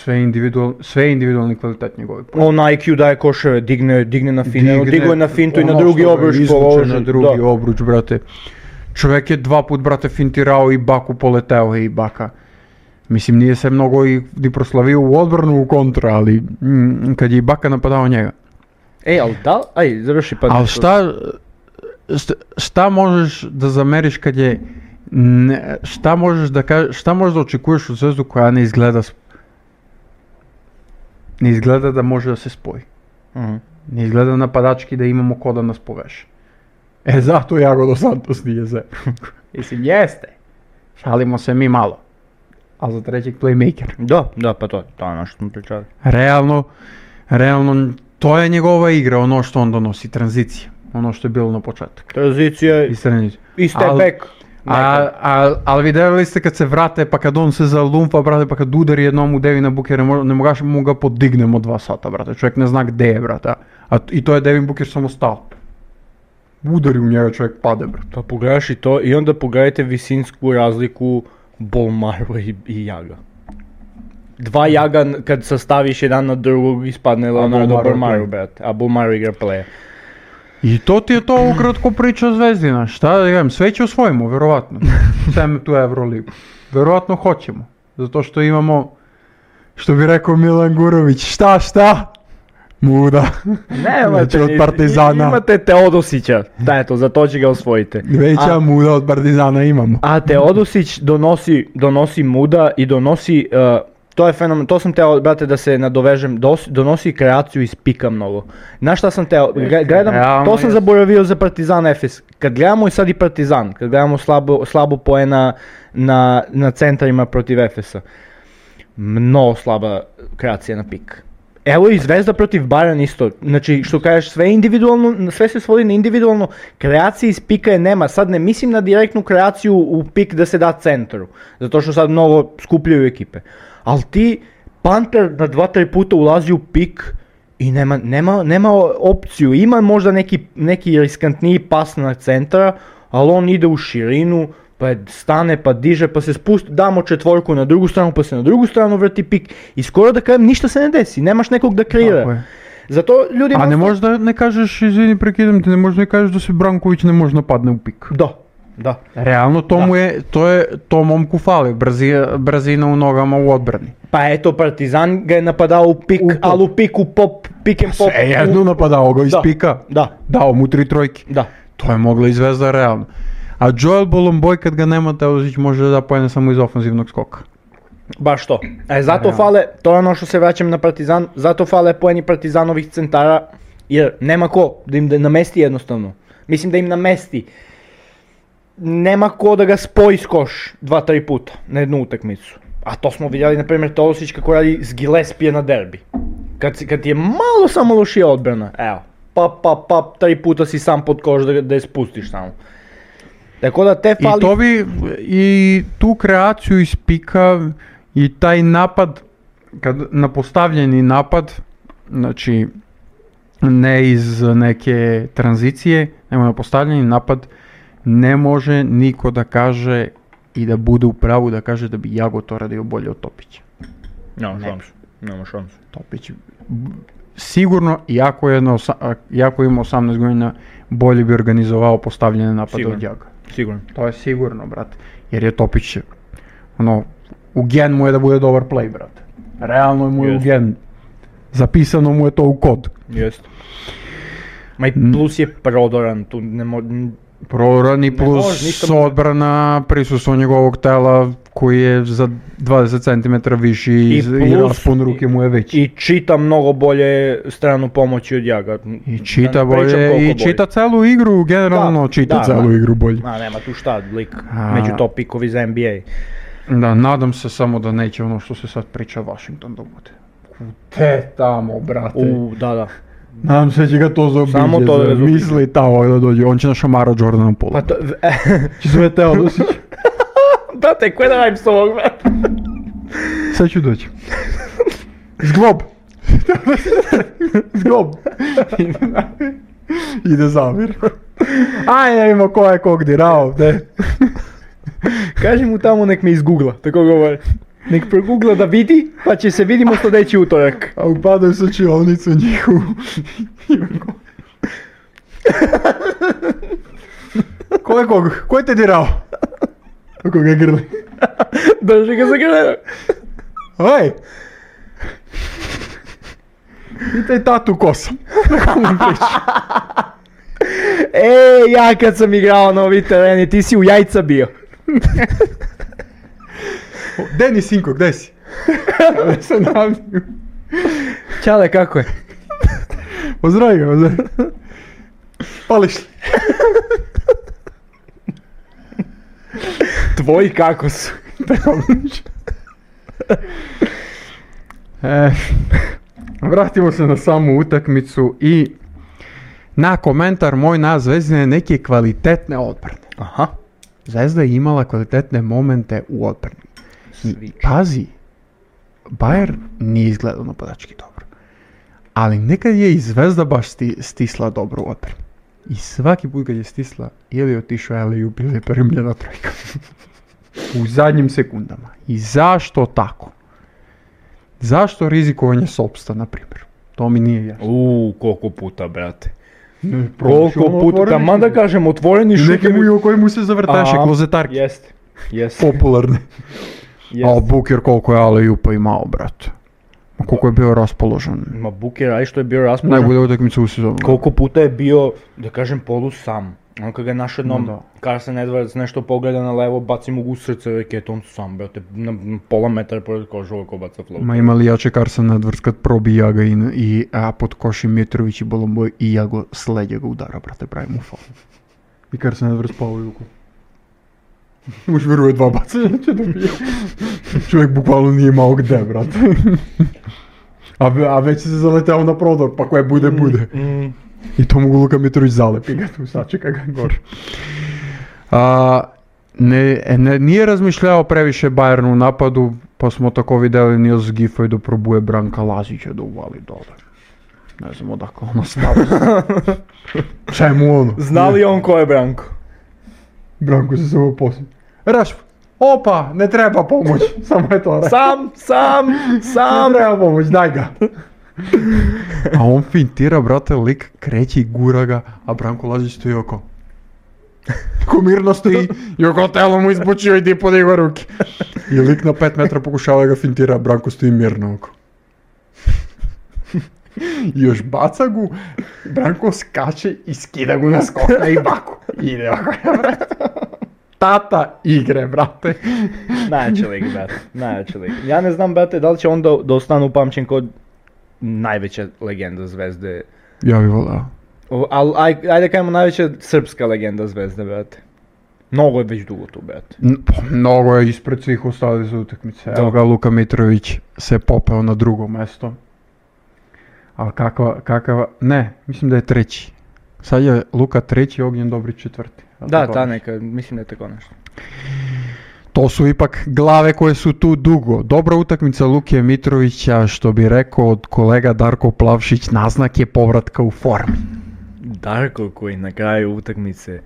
sve individualni kvalitet njegovi. On IQ daje koševe, digne na fine, digo je na fintu i na drugi obruč položi. Na drugi obruč, brate. Čovjek je 2 put, brate, fintirao i Baku poleteo i Baka. Mislim, nije se mnogo i proslavio u odbranu u kontra, ali kad je i Baka napadao njega. Ali da, završi pa. Ali šta možeš da zameriš kad je, šta možeš da očekuješ od zvezdu koja ne izgleda da može da se spoji. Ne izgleda napadački da imamo ko da nas poveže. Zato Iago dos Santos nije zero. Mislim, jeste. Šalimo se mi malo. Ali za trećeg playmaker. Da, pa to je ono što smo pričali. Realno, to je njegova igra, ono što on donosi, tranzicija. Ono što je bilo na početak. Tranzicija i step back. Ali vidjeli ste kad se vrate, pa kad on se zalumfa, brate, pa kad udari jednom u Devina Bookera, ne mogu ga podignemo 2 sata, brate. Čovjek ne zna gdje je, brate. I to je Devin Booker samo stao. Udari u njega, čovjek pade, brate. Pa pogledaš i to i onda pogledajte visinsku razliku Bolmaro i Jaga. 2 Jaga kad sastaviš jedan na drugog ispadne Leonardo Bolmaro, brate. A Bolmaro igra playa. I to ti je to ukratko priča Zvezdina, šta da kažem, sve će osvojimo, vjerovatno, sem tu Euroligu, vjerovatno hoćemo, zato što imamo, što bi rekao Milan Gurović, šta? Muda, nemate od Partizana. Imate Teodosića, za to će ga osvojite. Veća muda od Partizana imamo. A Teodosić donosi muda i donosi, to je fenomen, to sam teo, brate, da se nadovežem, donosi kreaciju iz pika mnogo. Znaš šta sam teo, gledam, to sam zaboravio za Partizan Efes. Kad gledamo i sad i Partizan, kad gledamo slabo poena na centrima protiv Efesa, mnogo slaba kreacija na pik. Evo i Zvezda protiv Bayern isto, znači što kažeš sve individualno, sve se svodi na individualno, kreacije iz pika je nema, sad ne mislim na direktnu kreaciju u pik da se da centru, zato što sad mnogo skupljaju ekipe. Ali ti, Panter na 2-3 puta ulazi u pik i nema opciju, ima možda neki riskantniji pas na centra, ali on ide u širinu, pa stane, pa diže, pa se spusti, damo 4 na drugu stranu, pa se na drugu stranu vrti pik i skoro da kažem ništa se ne desi, nemaš nekog da kreira. Zato ljudi... A ne možeš da ne kažeš, izvini prekidam te, ne možeš da ne kažeš da se Branković ne može napadne u pik. Da. Realno to momku fali, brzina u nogama u odbrani. Pa eto, Partizan ga je napadao u pik, ali u pik, u pop, pick and pop. Jedno napadao ga iz pika. Dao mu 3 trojke. To je mogla i Zvezda realno. A Joel Bolomboy kad ga nema, Teodosić može da poene samo iz ofenzivnog skoka. Baš to. Zato fale, to je ono što se vraćam na Partizan, zato fale poeni Partizanovih centara, jer nema ko da im namesti jednostavno. Mislim da im namesti. Nema ko da ga spoji s koš 2-3 puta na jednu utakmicu. A to smo vidjeli, na primjer, Teodosić kako radi s Gillespie na derbi. Kad je malo samo lošija odbrana, evo, pap, 3 puta si sam pod koš da je spustiš samo. Tako da te fali... I tu kreaciju iz pika i taj napad, na postavljeni napad, znači ne iz neke tranzicije, nego na postavljeni napad, ne može niko da kaže i da bude u pravu da kaže da bi Jago to radio bolje od Topića. Nema šansu. Topić sigurno, iako ima 18 godina, bolje bi organizovao postavljene napade od Jaga. Sigurno. To je sigurno, brate. Jer je Topić, u gen mu je da bude dobar play, brate. Realno mu je u gen. Zapisano mu je to u kod. Jeste. Ma i plus je prodoran, tu ne može... Prodoran i plus odbrana, prisustvo njegovog tela koji je za 20 cm viši i raspon ruke mu je veći. I čita mnogo bolje stranu pomoći od Jaga. I čita bolje, i čita celu igru, generalno čita celu igru bolje. Nema tu šta, lik među top pikovi za NBA. Da, nadam se samo da neće ono što se sad priča Washington da bude. Te tamo, brate. Da. Nadam se će ga to zaobiđe, misli tamo da dođe, on će na šamara Jordana Pola. Pa to... Će zove Teodosić. Brate, koje da radim s ovog, brate? Sad ću doći. Zglob! Zglob! Ide Zamir. Aj, ne vidimo ko je kog dirao, ne. Kaži mu tamo nek me izgoogla, tako govori. Nek progugla da vidi, pa će se vidimo sljedeći utorak. A upadaju sa čilovnicu njihovu. Ko je te dirao? Ako ga grli. Drži ga za grlena. Oj! Pitaj tatu ko sam. Ja kad sam igrao na ovi tereni, ti si u jajca bio. Deni sinko, gdje si? Ja se naviju. Čale, kako je? Pozdravi ga. Pališ li? Tvoji kako su? Vratimo se na samu utakmicu i na komentar moj na Zvezdine neke kvalitetne odbrane. Aha. Zvezda je imala kvalitetne momente u odbrani. I pazi, Bayern nije izgledao napadački dobro. Ali nekad je i Zvezda baš stisla dobro u odbrani. I svaki put kad je stisla, ili je otišao alley-oop ili je primljena trojka. U zadnjim sekundama. I zašto tako? Zašto rizikovanje Sopsta, na primjer? To mi nije jasno. Koliko puta, brate. Koliko puta, taman da kažem, otvoreni šutevi. Neke mu i o kojemu se zavrtaše, klozetarke. Jest. Popularne. A Buker koliko je alley-oopa imao, brate. Koliko je bio raspoložen. Ma Buker, aj što je bio raspoložen. Najbolje utakmica u sezonu. Koliko puta je bio, da kažem, polu sam. On kad ga je naš jednom, Carson Edwards nešto pogleda na levo, baci mu u srce raketu, on sam, brate, na pola metra pored koža ovako baca flow. Ma ima li jače Carson Edwards kad probija ga a pod koši Mitrović i Bolomboj i ja go s leđa ga udara, brate, pravi mu faul. I Carson Edwards pao u juku. Muš vjeruje dva bacanja će dobije. Čovjek bukvalno nije imao gde, brate. A već se zaletao na prodor, pa koje bude. I to mogu Luka Mitrović zalepi ga tu, sačeka ga gore. Nije razmišljao previše Bayern u napadu, pa smo tako vidjeli Nils Giffey da probuje Branka Lazića da uvali dole. Ne znam odakle ono stavio. Čemu ono? Zna li on ko je Branko? Branko se samo poslije. Rašp, opa, ne treba pomoć, samo je to rekao. Sam! Ne treba pomoć, daj ga. A on fintira, brate, lik kreće i gura ga, a Branko Lazić stoji oko. Ko mirno stoji i oko telo mu izbučio i di podigo ruke. I lik na 5 metra pokušava ga fintira, a Branko stoji mirno oko. I još baca gu, Branko skače i skida gu na skok na Ibaku. Ide oko, brate. Tata igre, brate. Najjači lik, brate. Ja ne znam, brate, da li će on da ostane upamćen kod najveća legenda Zvezde. Ja bih volao. Ali ajde kajmo najveća srpska legenda Zvezde, brate. Mnogo je već dugo tu, brate. Mnogo je ispred svih ostalih za utakmice. Evo ga, Luka Mitrović se popeo na drugo mesto. Ali ne, mislim da je treći. Sad je Luka treći, Ognjen Dobrić četvrti. Da, neka, mislim da je tako nešto. To su ipak glave koje su tu dugo. Dobra utakmica Luke Mitrovića, što bi rekao od kolega Darko Plavšić, naznak je povratka u formi. Darko koji na kraju utakmice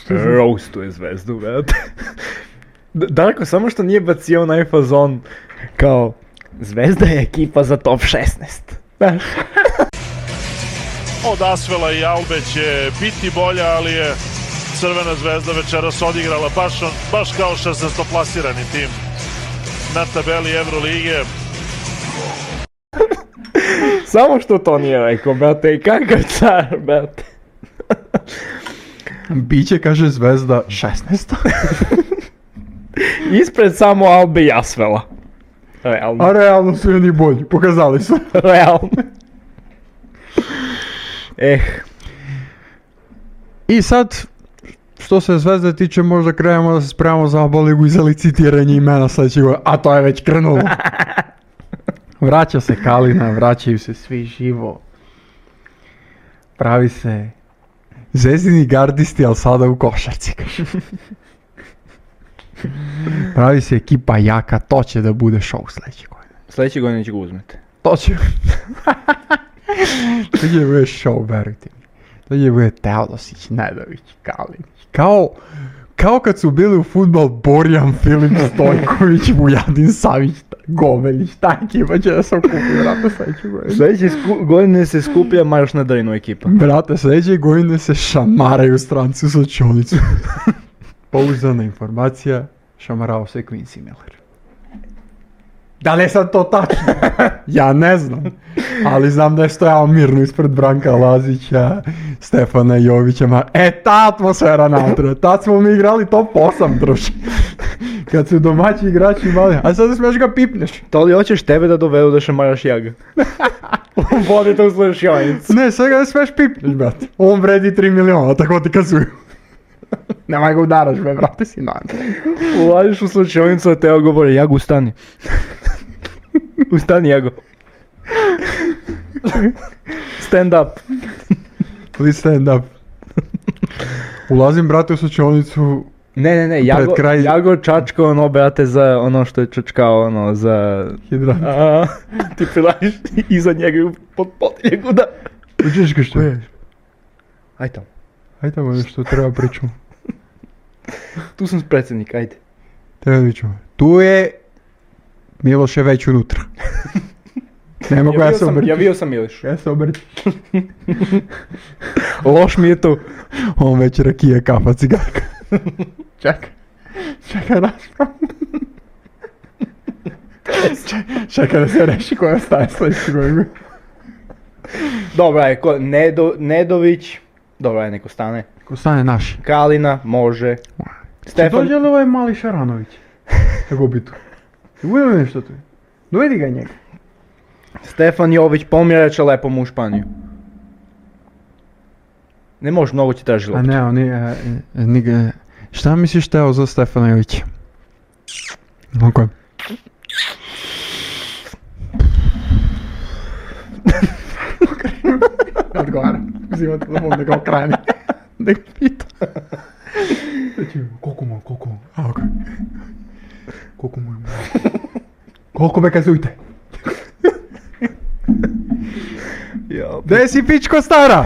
roastuje Zvezdu, brate. Darko samo što nije bacio onaj fazon kao Zvezda je ekipa za top 16. Od Asvela i Albe će biti bolja, ali je Crvena Zvezda večeras odigrala baš kao 16. plasirani tim na tabeli Evrolige. Samo što to nije rekao, brate, i kakav car, brate. Biće, kaže Zvezda, 16. Ispred samo Albe i Asvela. Realno. A realno su oni bolji, pokazali su. Realno. I sad, što se Zvezde tiče, možda krenemo da se spremamo za ABA ligu i za licitiranje imena sljedećeg godine, a to je već krenulo. Vraća se Kalina, vraćaju se svi živo. Pravi se Zvezdini gardisti, ali sada u košarci. Pravi se ekipa jaka, to će da bude show sljedeće godine. Sljedeće godine će ga uzmete. To će... To će bude show, verujte mi. To će bude Teodosić, Nedović, Kalinić. kao kad su bili u fudbal Borjan, Filip Stojković, Vujadin Savić, Gomelić, ta ekipa će da se okupi, brate, sljedeće godine. Sljedeće godine se skuplja Marš na Drinu ekipa. Brate, sljedeće godine se šamaraju stranci u slučajnicu. Pouzdana informacija, šamarao se Quincy Miller. Da li je sad to tačno? Ja ne znam. Ali znam da je stojao mirno ispred Branka Lazića, Stefana Jovića. Ta atmosfera natra. Tad smo mi igrali top 8, druži. Kad su domaći igrači imali. A sad smiješ ga pipneš. To li hoćeš tebe da dovedu da šamaraš Jaga? Vodite u slučajnicu. Ne, sad ga ne smiješ pipneš, brate. On vredi 3 miliona, tako ti kazuju. Nemaj ga udaraš, brate, si nan. Ulaziš u slučajnicu, a Teo govori, Jago, ustani. Ustani, Jago. Stand up. Please stand up. Ulazim, brate, u slučajnicu. Ne, Jago čačka ono, brate, za ono što je čačkao, ono, za... Hidrat. Ti prilažiš iza njega i pod njegu da... Uđeš ga što je? Aj tamo. Aj tamo nešto treba pričamo. Tu sam predsjednik, ajde. Treba pričamo. Tu je... Miloš je već unutra. Ne mogu ja se obrti. Javio sam Miloš. Ja se obrti. Loš mi je tu. On već rakije, kafa, cigarka. Čekaj raspravu. Čekaj da se reši koja staje sljedeći godinu. Dobra je, Nedović. Dobra je, neko stane. Ko stane naši. Kalina, može. Stefan... Dođe li ovaj mali Šaranović? Kako bi tu? Uvijek nešto tu. Dovedi ga njega. Stefan Jović pomjeraće lepom u Španiju. Ne može, mnogo će traži loptu. A ne, oni... Šta misliš Teo za Stefana Jovića? Ok. Odgovaram. Uzimam telefon da ga okrani. Da ga pita. Koliko mu? A, ok. Koliko mu je? Koliko me kazujte? Gdje si pičko stara?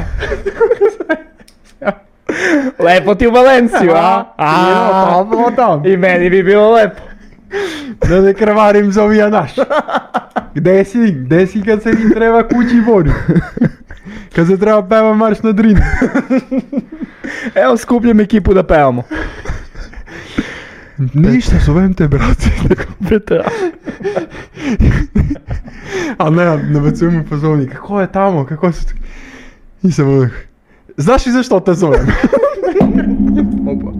Lepo ti u Valenciju, a? I meni bi bilo lepo. Da ne krvarim za ovija naš. Gdje si kad se im treba kući vodi? Kad se treba peva Marš na Drinu. Evo skupljam ekipu da pevamo. Ništa, zovem te, brate. A ne, nabacujem u pozovnik. Kako je tamo, kako su... Nisam onak. Znaš li zašto te zovem? Opa.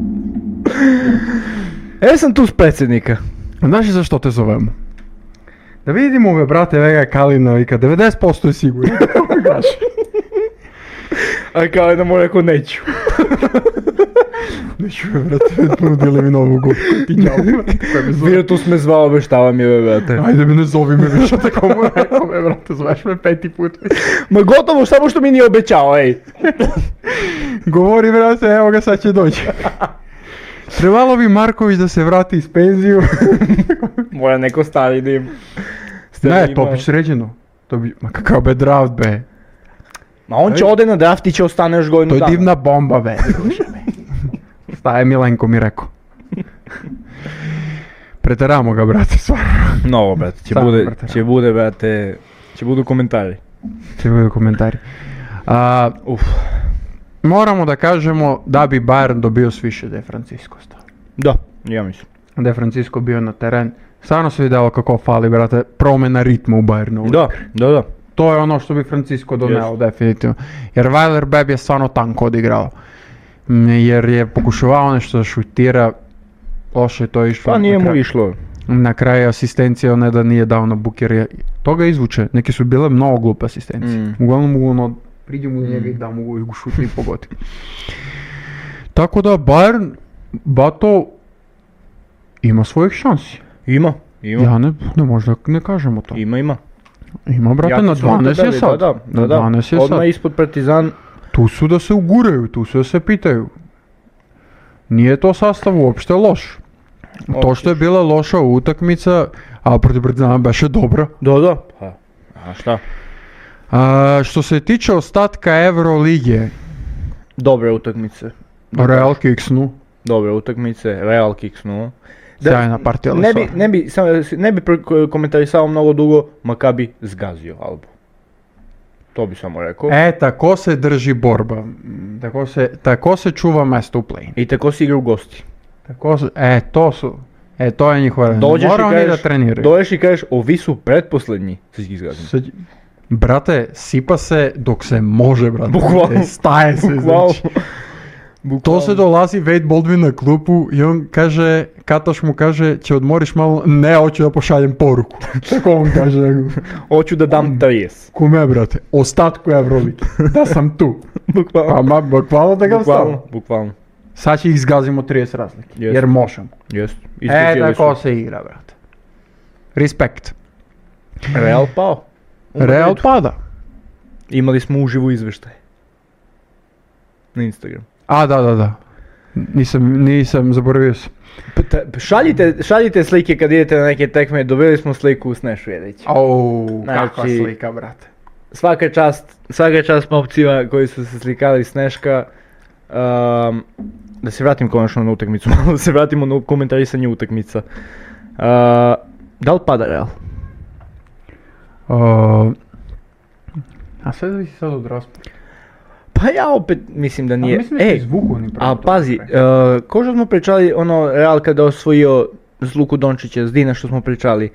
Sam tu s predsjednika. Znaš li zašto te zovemo? Da vidimo ove brate Vega Kalinovika, 90% je sigurno. A kao da mu rekao neću. Neću me brate, ponudili mi novu godinu. Bio tu sme zvao, obeštavam je brate. Ajde me ne zovi me više, tako mu rekao me brate, zoveš me 5. put. Ma gotovo, samo što mi nije obećao, ej. Govori brate, evo ga sad će doći. Trebalo bi Marković da se vrati iz penziju. Mora neko stari dim. Ne, to bi sređeno. Ma kakav be draft be. Ma on će ode na draft i će ostane još godinu dana. To je divna bomba be. Staje Milenko mi rekao. Preteramo ga brate stvarno. No brate, će budu komentari. Moramo da kažemo da bi Bayern dobio s više da je Francisco stao. Da, ja mislim. Da je Francisco bio na teren. Stvarno se vidjelo kako fali, brate, promjena ritma u Bayernu. Da. To je ono što bi Francisco doneo, definitivno. Jer Weiler Beb je stvarno tanko odigrao. Jer je pokušavao nešto da šutira, loše je to išlo. Pa nije mu išlo. Na kraju asistencija, ne da nije dao na Buker, toga izvuče. Neke su bile mnogo glupe asistencije. Uglavnom mogu ono, priđe mu njega i da mogu ih šuti i pogodi. Tako da Bayern, Bato, ima svojih šansi. Ima. Ja ne možda ne kažemo to. Ima. Ima brate, na 12 je sad. Da. 12 je sad. Odmah ispod Partizan. Tu su da se uguraju, tu su da se pitaju. Nije to sastav uopšte loš. To što je bila loša utakmica, a protiv Partizana beše dobro. Da. A šta? Što se tiče ostatka Euroligije. Dobre utakmice. Real kiksnu. dobre utakmice, Real kiksnuo. Sjajna partija Ne bi komentarisao mnogo dugo, Makabi zgazio Albu. To bi samo rekao. Tako se drži borba. Tako se čuva mesto u play-in. I tako se igra u gosti. To je njihova. Mora oni da treniraju. Dođeš i kažeš, ovi su pretposlednji. Sve ih zgazim. Brate, sipa se dok se može, brate. Bukvalno. Staje se, znači. To se dolazi Wade Baldwin na klupu i on kaže, Kataš mu kaže, će odmoriš malo, ne, hoću da pošaljem poruku. Tako on kaže. Hoću da dam 30. Kume, brate, ostatku Euroligi, da sam tu. Bukvalno. Bukvalno da ga stavim. Bukvalno. Sad će ih zgazimo 30 razlike, jer možemo. Tako se igra, brate. Respekt. Real pao. Real pada. Imali smo uživo izveštaj. Na Instagram. Da. Nisam, zaboravio sam. Šaljite slike kad idete na neke tekme, dobili smo sliku u Snešu Jedića. Kakva slika, brate. Svaka čast momcima koji su se slikali Sneška. Da se vratim konačno na utakmicu, da se vratimo na komentarisanje utakmica. Da li pada Real? A sve zavisi sad od rasporeda. Pa ja opet mislim da nije. Mislim da se izvuku oni pravo. A pazi, ko što smo pričali, Real kada osvojio s Luku Dončića, s Dina što smo pričali,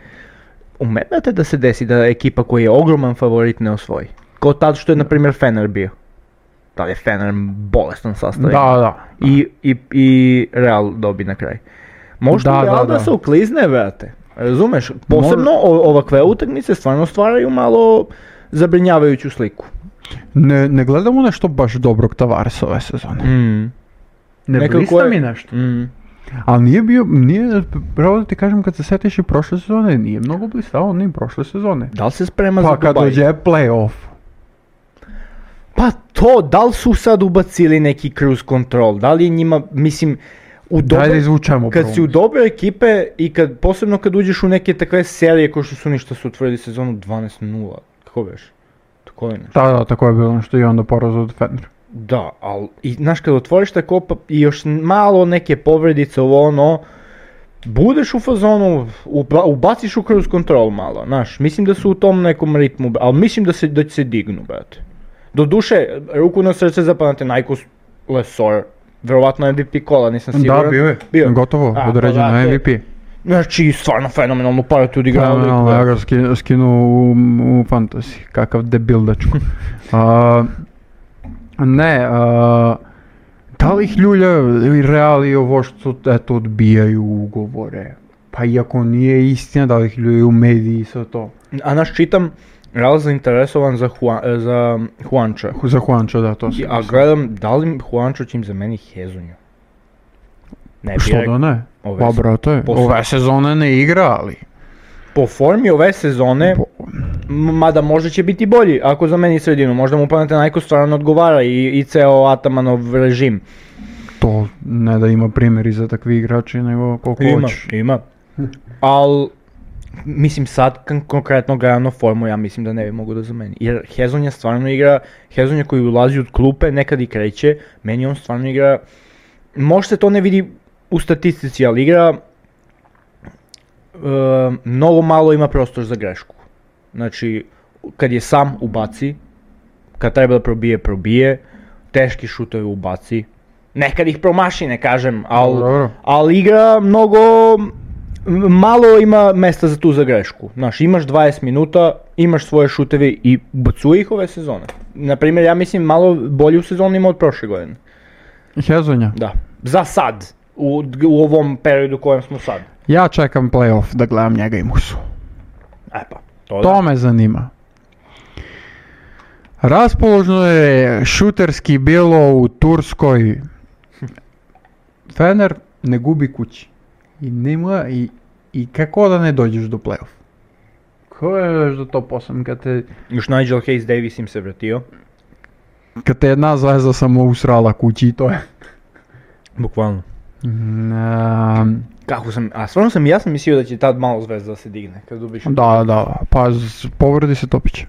umerate da se desi da ekipa koji je ogroman favorit ne osvoji? Kao tad što je na primjer Fener bio. Da je Fener bolestan sastav. Da. I Real dobi na kraj. Možda Real da se uklizne, brate. Razumeš? Posebno ovakve utakmice stvarno stvaraju malo zabrinjavajuću sliku. Ne gledamo nešto baš dobrog Tavaresa ove sezone. Ne blista mi nešto. Ali nije, pravo da ti kažem, kad se setiš i prošle sezone, nije mnogo blistao ni prošle sezone. Da li se sprema za Dubai? Pa kad dođe play-off. Pa to, da li su sad ubacili neki cruise control, da li je njima, mislim, daj da izvučemo kad si u dobre ekipe i posebno kad uđeš u neke takve serije ko što su ništa su otvorili sezonu 12-0, kako veš? Da, tako je bilo nešto i onda poraz od Fener. Da, ali znaš kad otvoriš tako i još malo neke povredice budeš u fazonu, ubaciš u cruise control malo, znaš, mislim da su u tom nekom ritmu, ali mislim da će se dignu, brate. Doduše, ruku na srce zapamate Nikos Lesor, verovatno MVP kola, nisam siguran. Da, bio je, gotovo, određeno MVP. Znači, stvarno fenomenalnu paratu odigrao. Fenomenalno, ja ga skinu u fantasy, kakav debil dečko. Da li ih ljulja Real i ovo što odbijaju ugovore? Pa iako nije istina, da li ih ljuljaju u mediji i sve to? A naš čitam, Real zainteresovan za Juanča. Za Juanča, da, to sam. A gledam, da li Juančo će im zameniti Hezonju? Što da ne? Pa brate, ove sezone ne igra, ali... Po formi ove sezone, mada možda će biti bolji ako zameni sredinu, možda mu Panathinaikos stvarno odgovara i ceo Atamanov režim. To ne da ima primjeri za takvi igrači, nego koliko hoćeš. Ima. Ali, mislim sad konkretno gledano formu, ja mislim da ne bi mogu da zameni. Jer Hezonja stvarno igra, Hezonja koji ulazi od klupe, nekad i kreće, meni on stvarno igra, možda se to ne vidi u statistici, ali igra mnogo malo ima prostor za grešku. Znači, kad je sam ubaci, kad treba da probije, teški šutovi ubaci, nekad ih promaši, ne kažem, ali igra mnogo, malo ima mesta za tu za grešku. Znaš, imaš 20 minuta, imaš svoje šuteve i ubacuje ih ove sezone. Naprimjer, ja mislim malo bolju sezonu ima od prošle godine. Hezonja? Da, za sad. U ovom periodu u kojem smo sad. Ja čekam play-off da gledam njega i Musu. To me zanima. Raspoložno je šuterski bilo u Turskoj. Fener ne gubi kući. I nema i kako da ne dođeš do play-off? Kako je do top 8 kad te... Još Nigel Hayes Davis im se vratio. Kad te jedna zvezda samo usrala kući i to je. Bukvalno. Stvarno ja sam mislio da će tad malo zvezda da se digne kad dobiš. Da, pa povredi se Topić.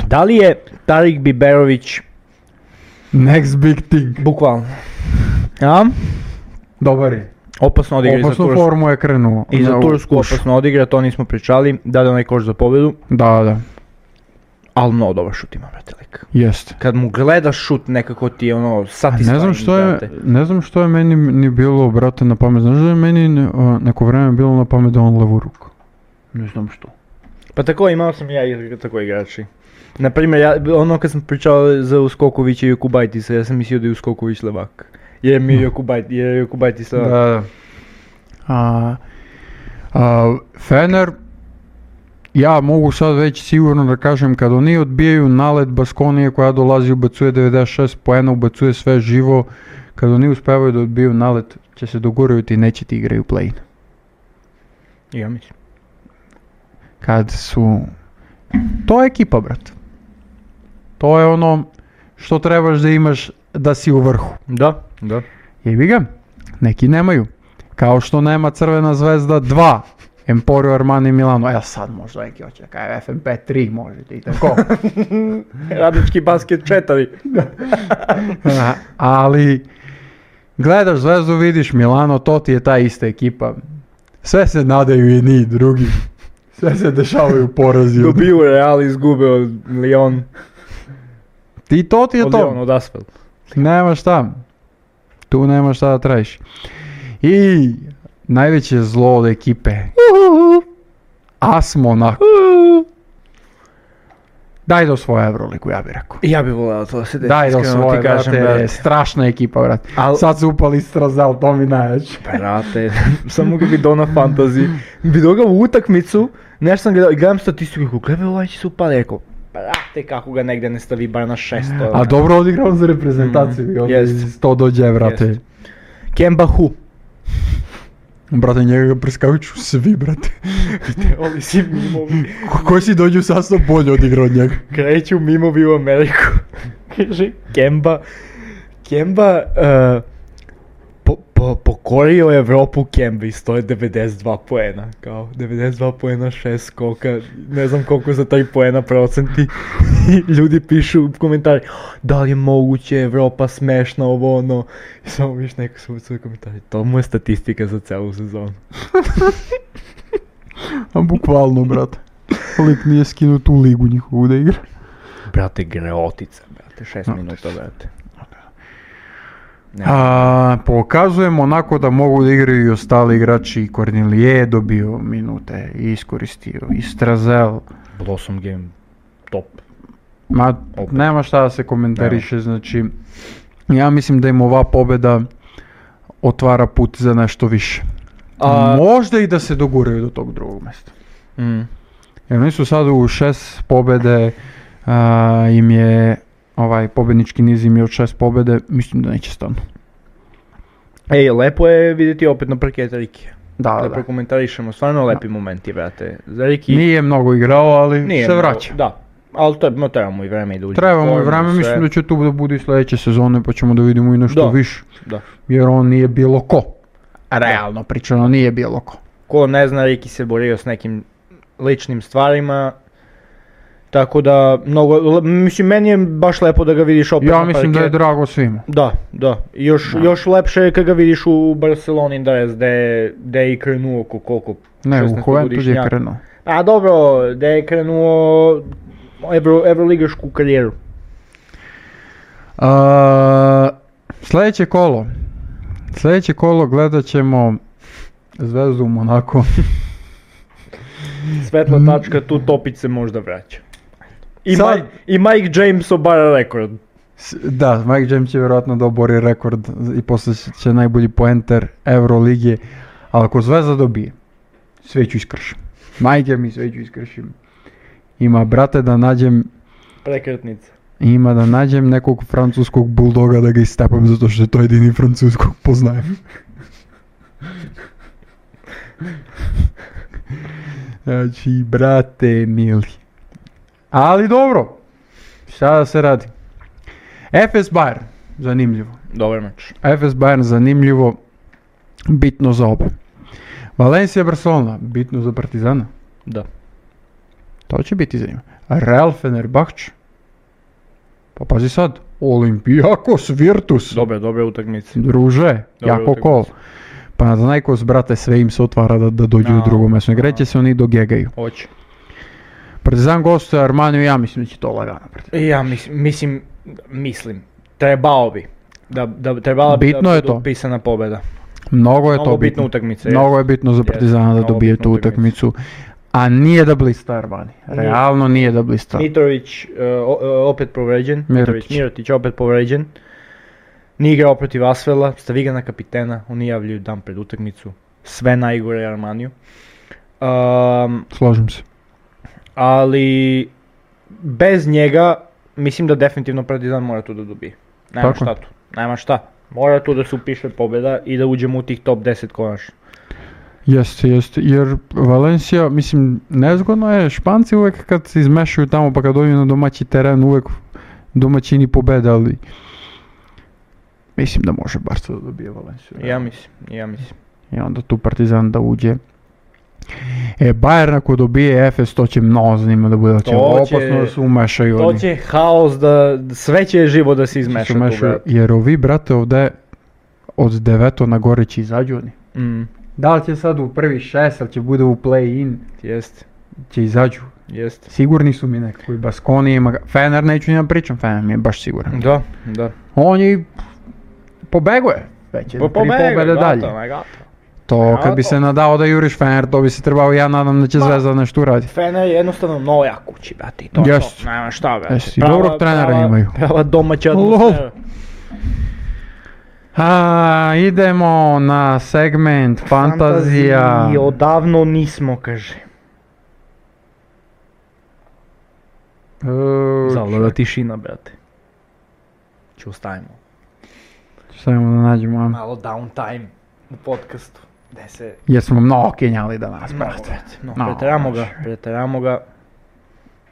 Da li je Tarik Biberović next big thing? Bukvalno. Ja? Dobar je. Opasno odigra i za Opasnu Tursku. formu je krenuo. I za Tursku Uš. opasno odigra, to nismo pričali, dade onaj koš za pobjedu, Da. ali mnogo dobar šut ima, brate, lik. Jeste. Kad mu gledaš šut, nekako ti je ono satisfying, Ne znam što je meni ni bilo, brate, na pamet. Znaš da je meni neko vreme bilo na pamet da on levu ruku? Ne znam što. Pa tako imao sam ja i tako igrači. Naprimjer, ono kad sam pričao za Uskokovića i Jokubajtisa, ja sam mislio da je Uskoković levak. Jer mi je Jokubajtis levak. Da. Fener, ja mogu sad već sigurno da kažem, kad oni odbijaju nalet Baskonije koja dolazi, ubacuje 96 poena, ubacuje sve živo, kad oni uspevaju da odbiju nalet, će se dogurati i neće ti igraju play-in. Ja mislim. Kad su... To je ekipa, brat. To je ono što trebaš da imaš da si u vrhu. Da. Jebi ga, neki nemaju. Kao što nema Crvena zvezda 2, Emporio Armani Milano. Ja sad možda neki hoće da kaže FNP 3 možete i tako. Radnički basket 4. Ali gledaš Zvezdu, vidiš Milano, to ti je ta ista ekipa. Sve se nadaju jedni i drugi. Sve se dešavaju porazi. Dobiju Real, izgube od Lyon. I to ti je Od to. Lyon, od Asfel. Nema šta. Tu nema šta da tražiš. I najveće zlo od ekipe. AS Monaco. Daj do svoje Euroligu, ja bih rekao. Ja bih voleo to da se desi. Daj do iskreno svoje, ti kažem, brate, strašna ekipa, brate. Sad su upali Strazel, to mi najveće. Brate, samo ga vidio na fantasy. Vidio ga u utakmicu, nešto sam gledao i gledam statistiku, gledaj ovaj će se upali, rekao, brate kako ga negdje ne stavi bar na 600. A dobro odigrao za reprezentaciju, jest. to dođe, brate. Jest. Kemba Hu. Brate, njega ga preskaviću svi, brate. Oli si mimovi. Koji si dođu sastav bolje odigrao od njega? Kreću mimovi u Ameriku. Kaže, Kemba pokorio Evropu Kemba i stoje 92 poena. Kao 92 poena, 6 skoka, ne znam koliko za taj poena procenti. I ljudi pišu u komentari, da li je moguće, Evropa smešna, ovo ono. I samo viš neko su u komentari, to mu je statistika za celu sezonu. A bukvalno, brate. Lik nije skinuo tu ligu njihovu da igra. Brate, greotica, brate, 6 minuta, brate. Pokazujemo onako da mogu da igraju i ostali igrači. Kornelije je dobio minute i iskoristio. I Strazel. Blossom game, top. Ma, nema šta da se komentariše, znači ja mislim da im ova pobjeda otvara put za nešto više. Možda i da se doguraju do tog drugog mjesta. Jer oni su sad u 6 pobjede, im je ovaj pobjednički niz im je od 6 pobjede, mislim da neće stanu. Ej, lepo je vidjeti opet na parketu Rikija. Da. Prokomentarišemo, stvarno lepi momenti, brate. Za Riki... Nije mnogo igrao, ali se vraća. Da, ali trebamo i vreme i da uđe. Trebamo i vreme, mislim da će tu da bude i sljedeće sezone, pa ćemo da vidimo i nešto više. Da. Jer on nije bilo ko. Realno pričano, nije bilo ko. Ko ne zna, Riki se borio s nekim ličnim stvarima. Tako da, mislim, meni je baš lepo da ga vidiš opet na parketu. Ja mislim da je drago svima. Da. Još lepše je kad ga vidiš u Barceloni, da je i krenuo koliko. Ne, u Juventus je krenuo. A dobro, da je krenuo evroligašku karijeru. Sljedeće kolo gledat ćemo Zvezdu u Monako. Svetla tačka, tu Topić se možda vraća. I Mike James obara rekord. Da, Mike James će vjerojatno da obori rekord i posle će najbolji poenter Euroligije. Ali ako Zvezda dobije, sve ću iskršim. Majke mi, sve ću iskršim. Ima, brate, da nađem... Prekretnica. Ima da nađem nekog francuskog buldoga da ga istepam zato što je to jedini francuskog poznajem. Znači, brate mili. Ali dobro, šta da se radi. FS Bayern, zanimljivo. Dobar meč. FS Bayern, zanimljivo, bitno za oba. Valencia Barcelona, bitno za Partizana. Da. To će biti zanimljivo. Real Fenerbahče. Pa pazi sad, Olimpijakos Virtus. Dobre utakmice. Druže, jako utakmice. kol. Panathinaikos, brate, sve im se otvara da dođu u drugo mjesto. Igreće se oni do gegaju. Hoće. Partizan gostuje Armaniju, ja mislim da će to lagano. Ja mislim, trebao bi. Trebala bi Bitno da je bude to. pisana pobjeda. Mnogo je to Mnogo bitna bitno. utakmica. Mnogo je bitno za Partizana da mnogo dobije bitna tu utakmica. utakmicu. A nije da blista Armani. Realno nije da blista. Mitrović opet povređen. Mirotić. Mirotić opet povređen. Nije igrao protiv Asvela, stavi ga na kapitena, oni javljaju dan pred utakmicu. Sve najgore Armaniju. Složim se. Ali bez njega mislim da definitivno Partizan mora tu da dobije. Nema Tako. šta tu. Nema šta. Mora tu da se upiše pobjeda i da uđemo u tih top 10 konačno. Jeste, jer Valencija, mislim, nezgodno je, Španci uvijek kad se izmešaju tamo pa kad dođu na domaći teren uvijek domaćini pobede, ali mislim da može Barca da dobije Valenciju. Ja mislim. I onda tu Partizan da uđe. Bayern ako dobije Efes, to će mnogo zanimljivo da bude, da će opasno da se umešaju To oni. će haos da, sve će živo da se izmeša tu, brate. Jer ovi, brate, ovdje od 9 na gore će izađu oni. Da li će sad u prvi 6, ali će bude u play-in, Jeste. će izađu. Jeste. Sigurni su mi nekako i Baskoni ima, Fener neću njima pričam, Fener mi je baš siguran. Da. On je pobeguje, već je 3 pobjede dalje. To kad bi se nadao da juriš Fener, to bi se trebao, ja nadam da će Zvezda nešto uraditi. Fener je jednostavno mnogo jak kući, brate, i to Jest. to, nema šta, brate. Jesi, dobrog trenera imaju. Prava domaća atmosfera. Idemo na segment fantazija. Fantaziji odavno nismo, kaže. Zavlada tišina, brate. Ću ostavimo. Samo da nađemo. Malo downtime u podcastu. Gde se... Jer smo mnogo kenjali danas, brate. Preteramo ga.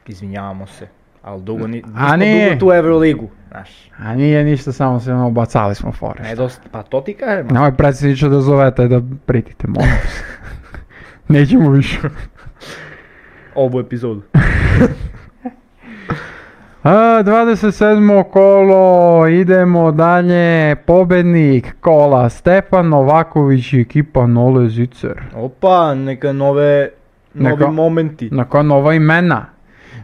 Izvinjavamo se. Ali dugo nismo nije. dugo tu Euroligu, znaš. A nije ništa, samo se bacali smo fore. Pa to ti kažem. Nemoj predsjedniče da zovete da pritite, molim se. Nećemo više. Ovu epizodu. 27. kolo, idemo dalje, pobednik kola Stefan Novaković i ekipa Nole Zicer. Opa, novi momenti. Neka nova imena.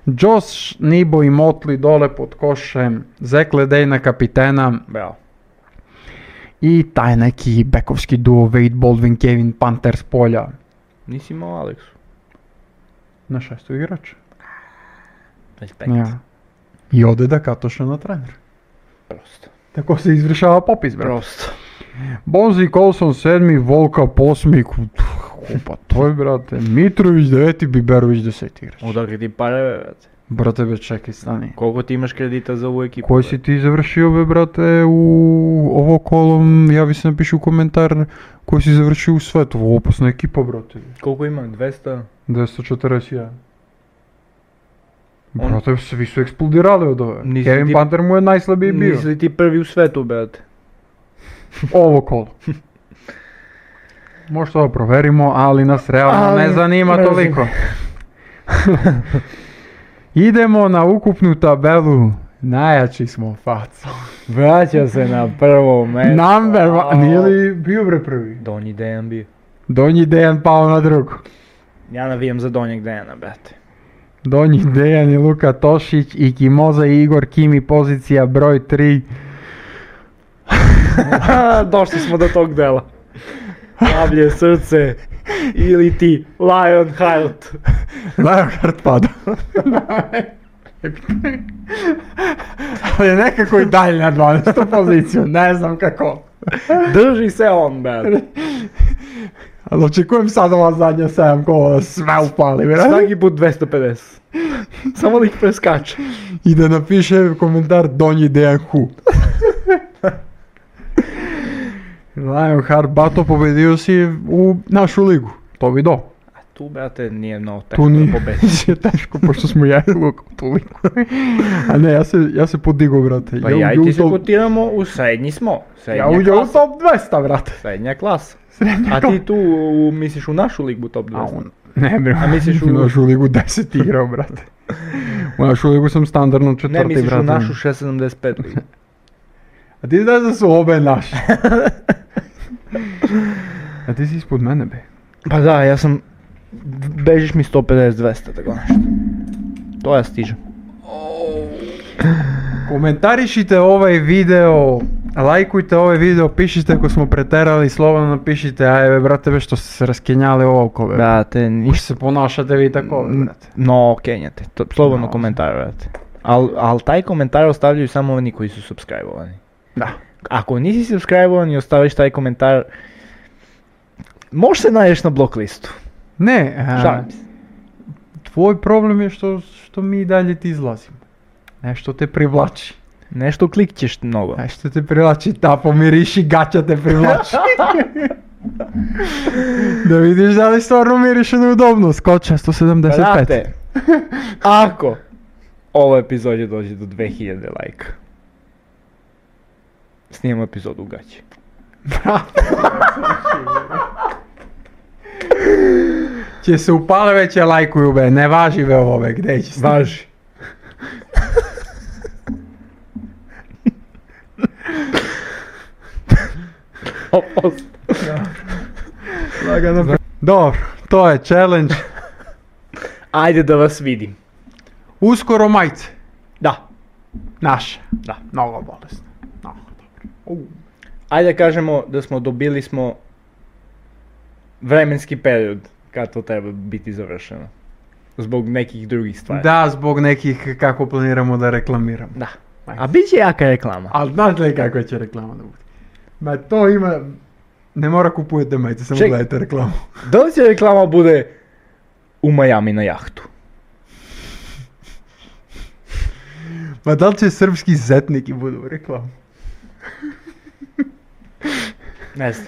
Josh, Nibo i Motley dole pod košem, Zek Ledej kapitena. Bravo. I taj neki bekovski duo Wade Baldwin, Kevin Panter s polja. Nisi imao Aleksu. Na 6. igrač. Respekt. Ja. I ode da Katoša na trener. Prosto. Tako se izvršava popis, brate. Prosto. Bonzi Colson 7. Volka 8. Pa to je, brate. Mitrović 9. Biberović 10. igrač. Odakle ti pare, brate? Brate, be, čekaj, stani. Koliko ti imaš kredita za ovu ekipu? Koji si ti završio, be, brate, u ovo kolom, javi se napiši u komentar koji si završio u svetu. Ovo opasna ekipa, brate. Koliko ima? 200? 241. Brate, svi su eksplodirali od ove. Kevin Panter mu je najslabiji bio. Nisi li ti prvi u svetu, brate? Ovo kolo. Možda ovo proverimo, ali nas realno ne zanima toliko. Idemo na ukupnu tabelu. Najjači smo, faco. Vraća se na prvo mesto. Number one. Nije li bio bre prvi? Donji Dejan bio. Donji Dejan pao na drugu. Ja navijam za Donjeg Dejana, brate. Donji Dejan i Luka Tošić i Kimoza i Igor Kimi, pozicija broj 3. Došli smo do tog dela. Pavlje srce ili ti Lionheart. Lionheart pada. Ali nekako i dalje na 12. poziciju, ne znam kako. Drži se on, brate. Ali očekujem sad ova zadnja 7 kola da sve upali, brate. Svaki put 250. Samo da ih preskače. I da napiše komentar Donji Dejan Hu. Lionheart Bato, pobedio si u našu ligu, to bi do. A tu, brate, nije mnogo teško da pobediš. Tu nije teško, pošto smo ja i Luka u tu ligu. A ne, ja se podigao, brate. Pa ja i ti se kotiramo, u srednji smo. Ja uđem u top 200, brate. Srednja klasa. A ti tu misliš u našu ligu top 200? Ne, bre, a misliš u našu ligu 10 igrao, brate. Znaš, uvijek sam standardno četvrti, Ne misliš u brate. našu 675 ligu. A ti znaš da su obe naše. A ti si ispod mene, be. Pa da, ja sam... Bežiš mi 150-200, tako nešto. To ja stižem. Komentarišite ovaj video, lajkujte ovaj video, pišite ako smo preterali, slobodno napišite, ajde brate, be što ste se raskenjali ovako, be. Brate, Uš se ponašate vi tako, brate. No, kenjate, slobodno No. komentar, brate. Al taj komentar ostavljaju samo oni koji su subscribe-ovani. Da. Ako nisi subscribe-ovan i ostaviš taj komentar, možeš se nađeš na blok listu. Ne, Šalim se. tvoj problem je što mi i dalje ti izlazimo. Nešto te privlači. Nešto klikćeš mnogo. Nešto te privlači, ta pomiriši, gaća te privlači. Da vidiš da li stvarno miriše neudobno, skoča 175. Brate, ako ovo epizodje dođe do 2000 lajka, snimamo epizodu u gaći. Će se upale veće lajkuju, be, ne važi be ovo, be, gdje će se? Važi. Lagano. Dobro, to je challenge. Ajde da vas vidim. Uskoro majice. Da. Naše. Da. Mnogo bolesno. Mnogo dobro. Ajde kažemo da dobili smo vremenski period kad to treba biti završeno. Zbog nekih drugih stvari. Da, zbog nekih kako planiramo da reklamiramo. Da. A bit će jaka reklama. Ali znate li kako će reklama da bude? Ma to ima... Ne mora kupujete majice, samo Ček. gledajte reklamu. Da li će reklama bude u Miami na jahtu? Ma da li će srpski zetniki budu u reklamu? Ne znam.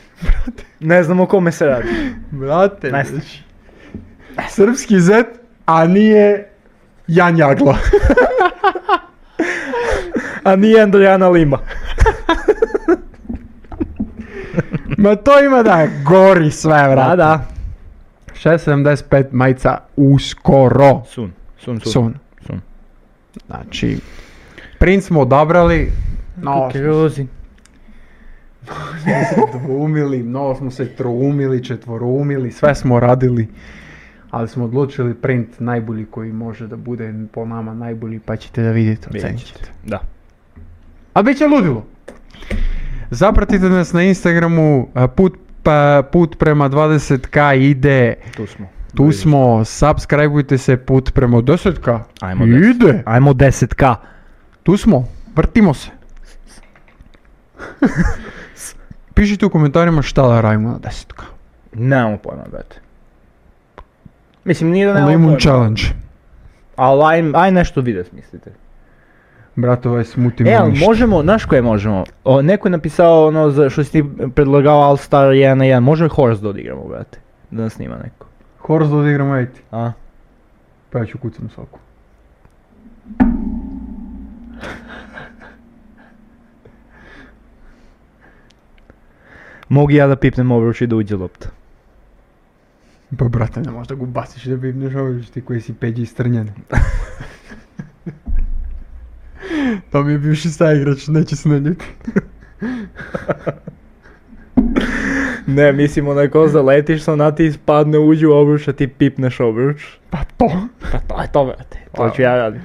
Ne znam o kome se radi. Brate, Ne znam. znači, srpski zet, a nije Jan Jagla. A nije Andrijana Lima. Ma to ima da gori sve, vrate. Da. 675 majica uskoro. Sun. Znači, print smo odabrali, no, Kukuruzi. dvoumili, mnogo smo se troumili, četvoroumili, sve smo radili, ali smo odlučili print najbolji koji može da bude po nama najbolji, pa ćete da vidite, ocenit ćete. Da. A bit će ludilo. Zapratite nas na Instagramu, put prema 20k ide, tu smo, subscribeujte se, put prema 10k, Ajmo 10. ide, Ajmo 10k. tu smo, vrtimo se. Pišite u komentarima šta da radimo na 10k. Nemamo pojma, brate. Mislim, nije da nemamo Limun pojma. challenge. Ali aj nešto video smislite. Brate, ovaj smoothie Ali možemo, znaš koje možemo? Neko je napisao ono što si ti predlagao All Star 1 na 1. Može Horse da odigramo, brate? Da nas snima neko. Horse da odigramo, ejti. A? Pa ja ću kucam svaku. Mogu ja da pipnem obruč i da uđe lopta. Pa brate, ne možda ga baciš da bibneš ovdje, ti koji si peđi istrnjen. To mi je bivši saigrač, neće se naljeti. Ne, mislim onaj ko zaletiš, sa ona ti ispadne, uđe u obruč, a ti pipneš obruč. Pa to. Pa to je to, brate. To ću ja raditi.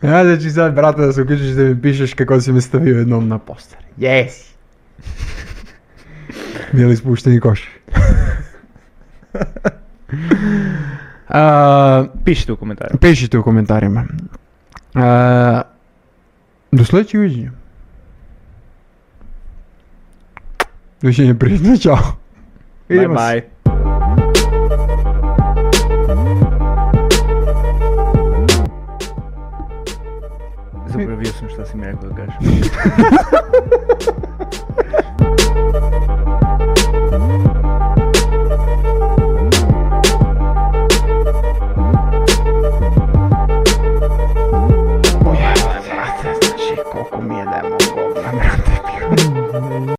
Ja da ću sad, brate, da se uključiš da mi pišeš kako si me stavio jednom na poster. Jesi. Bili spušteni koš. Pišite u komentarima. Pišite u komentarima. Do sljedećeg viđenja. Doviđenja, prijatno, čao. Bye bye.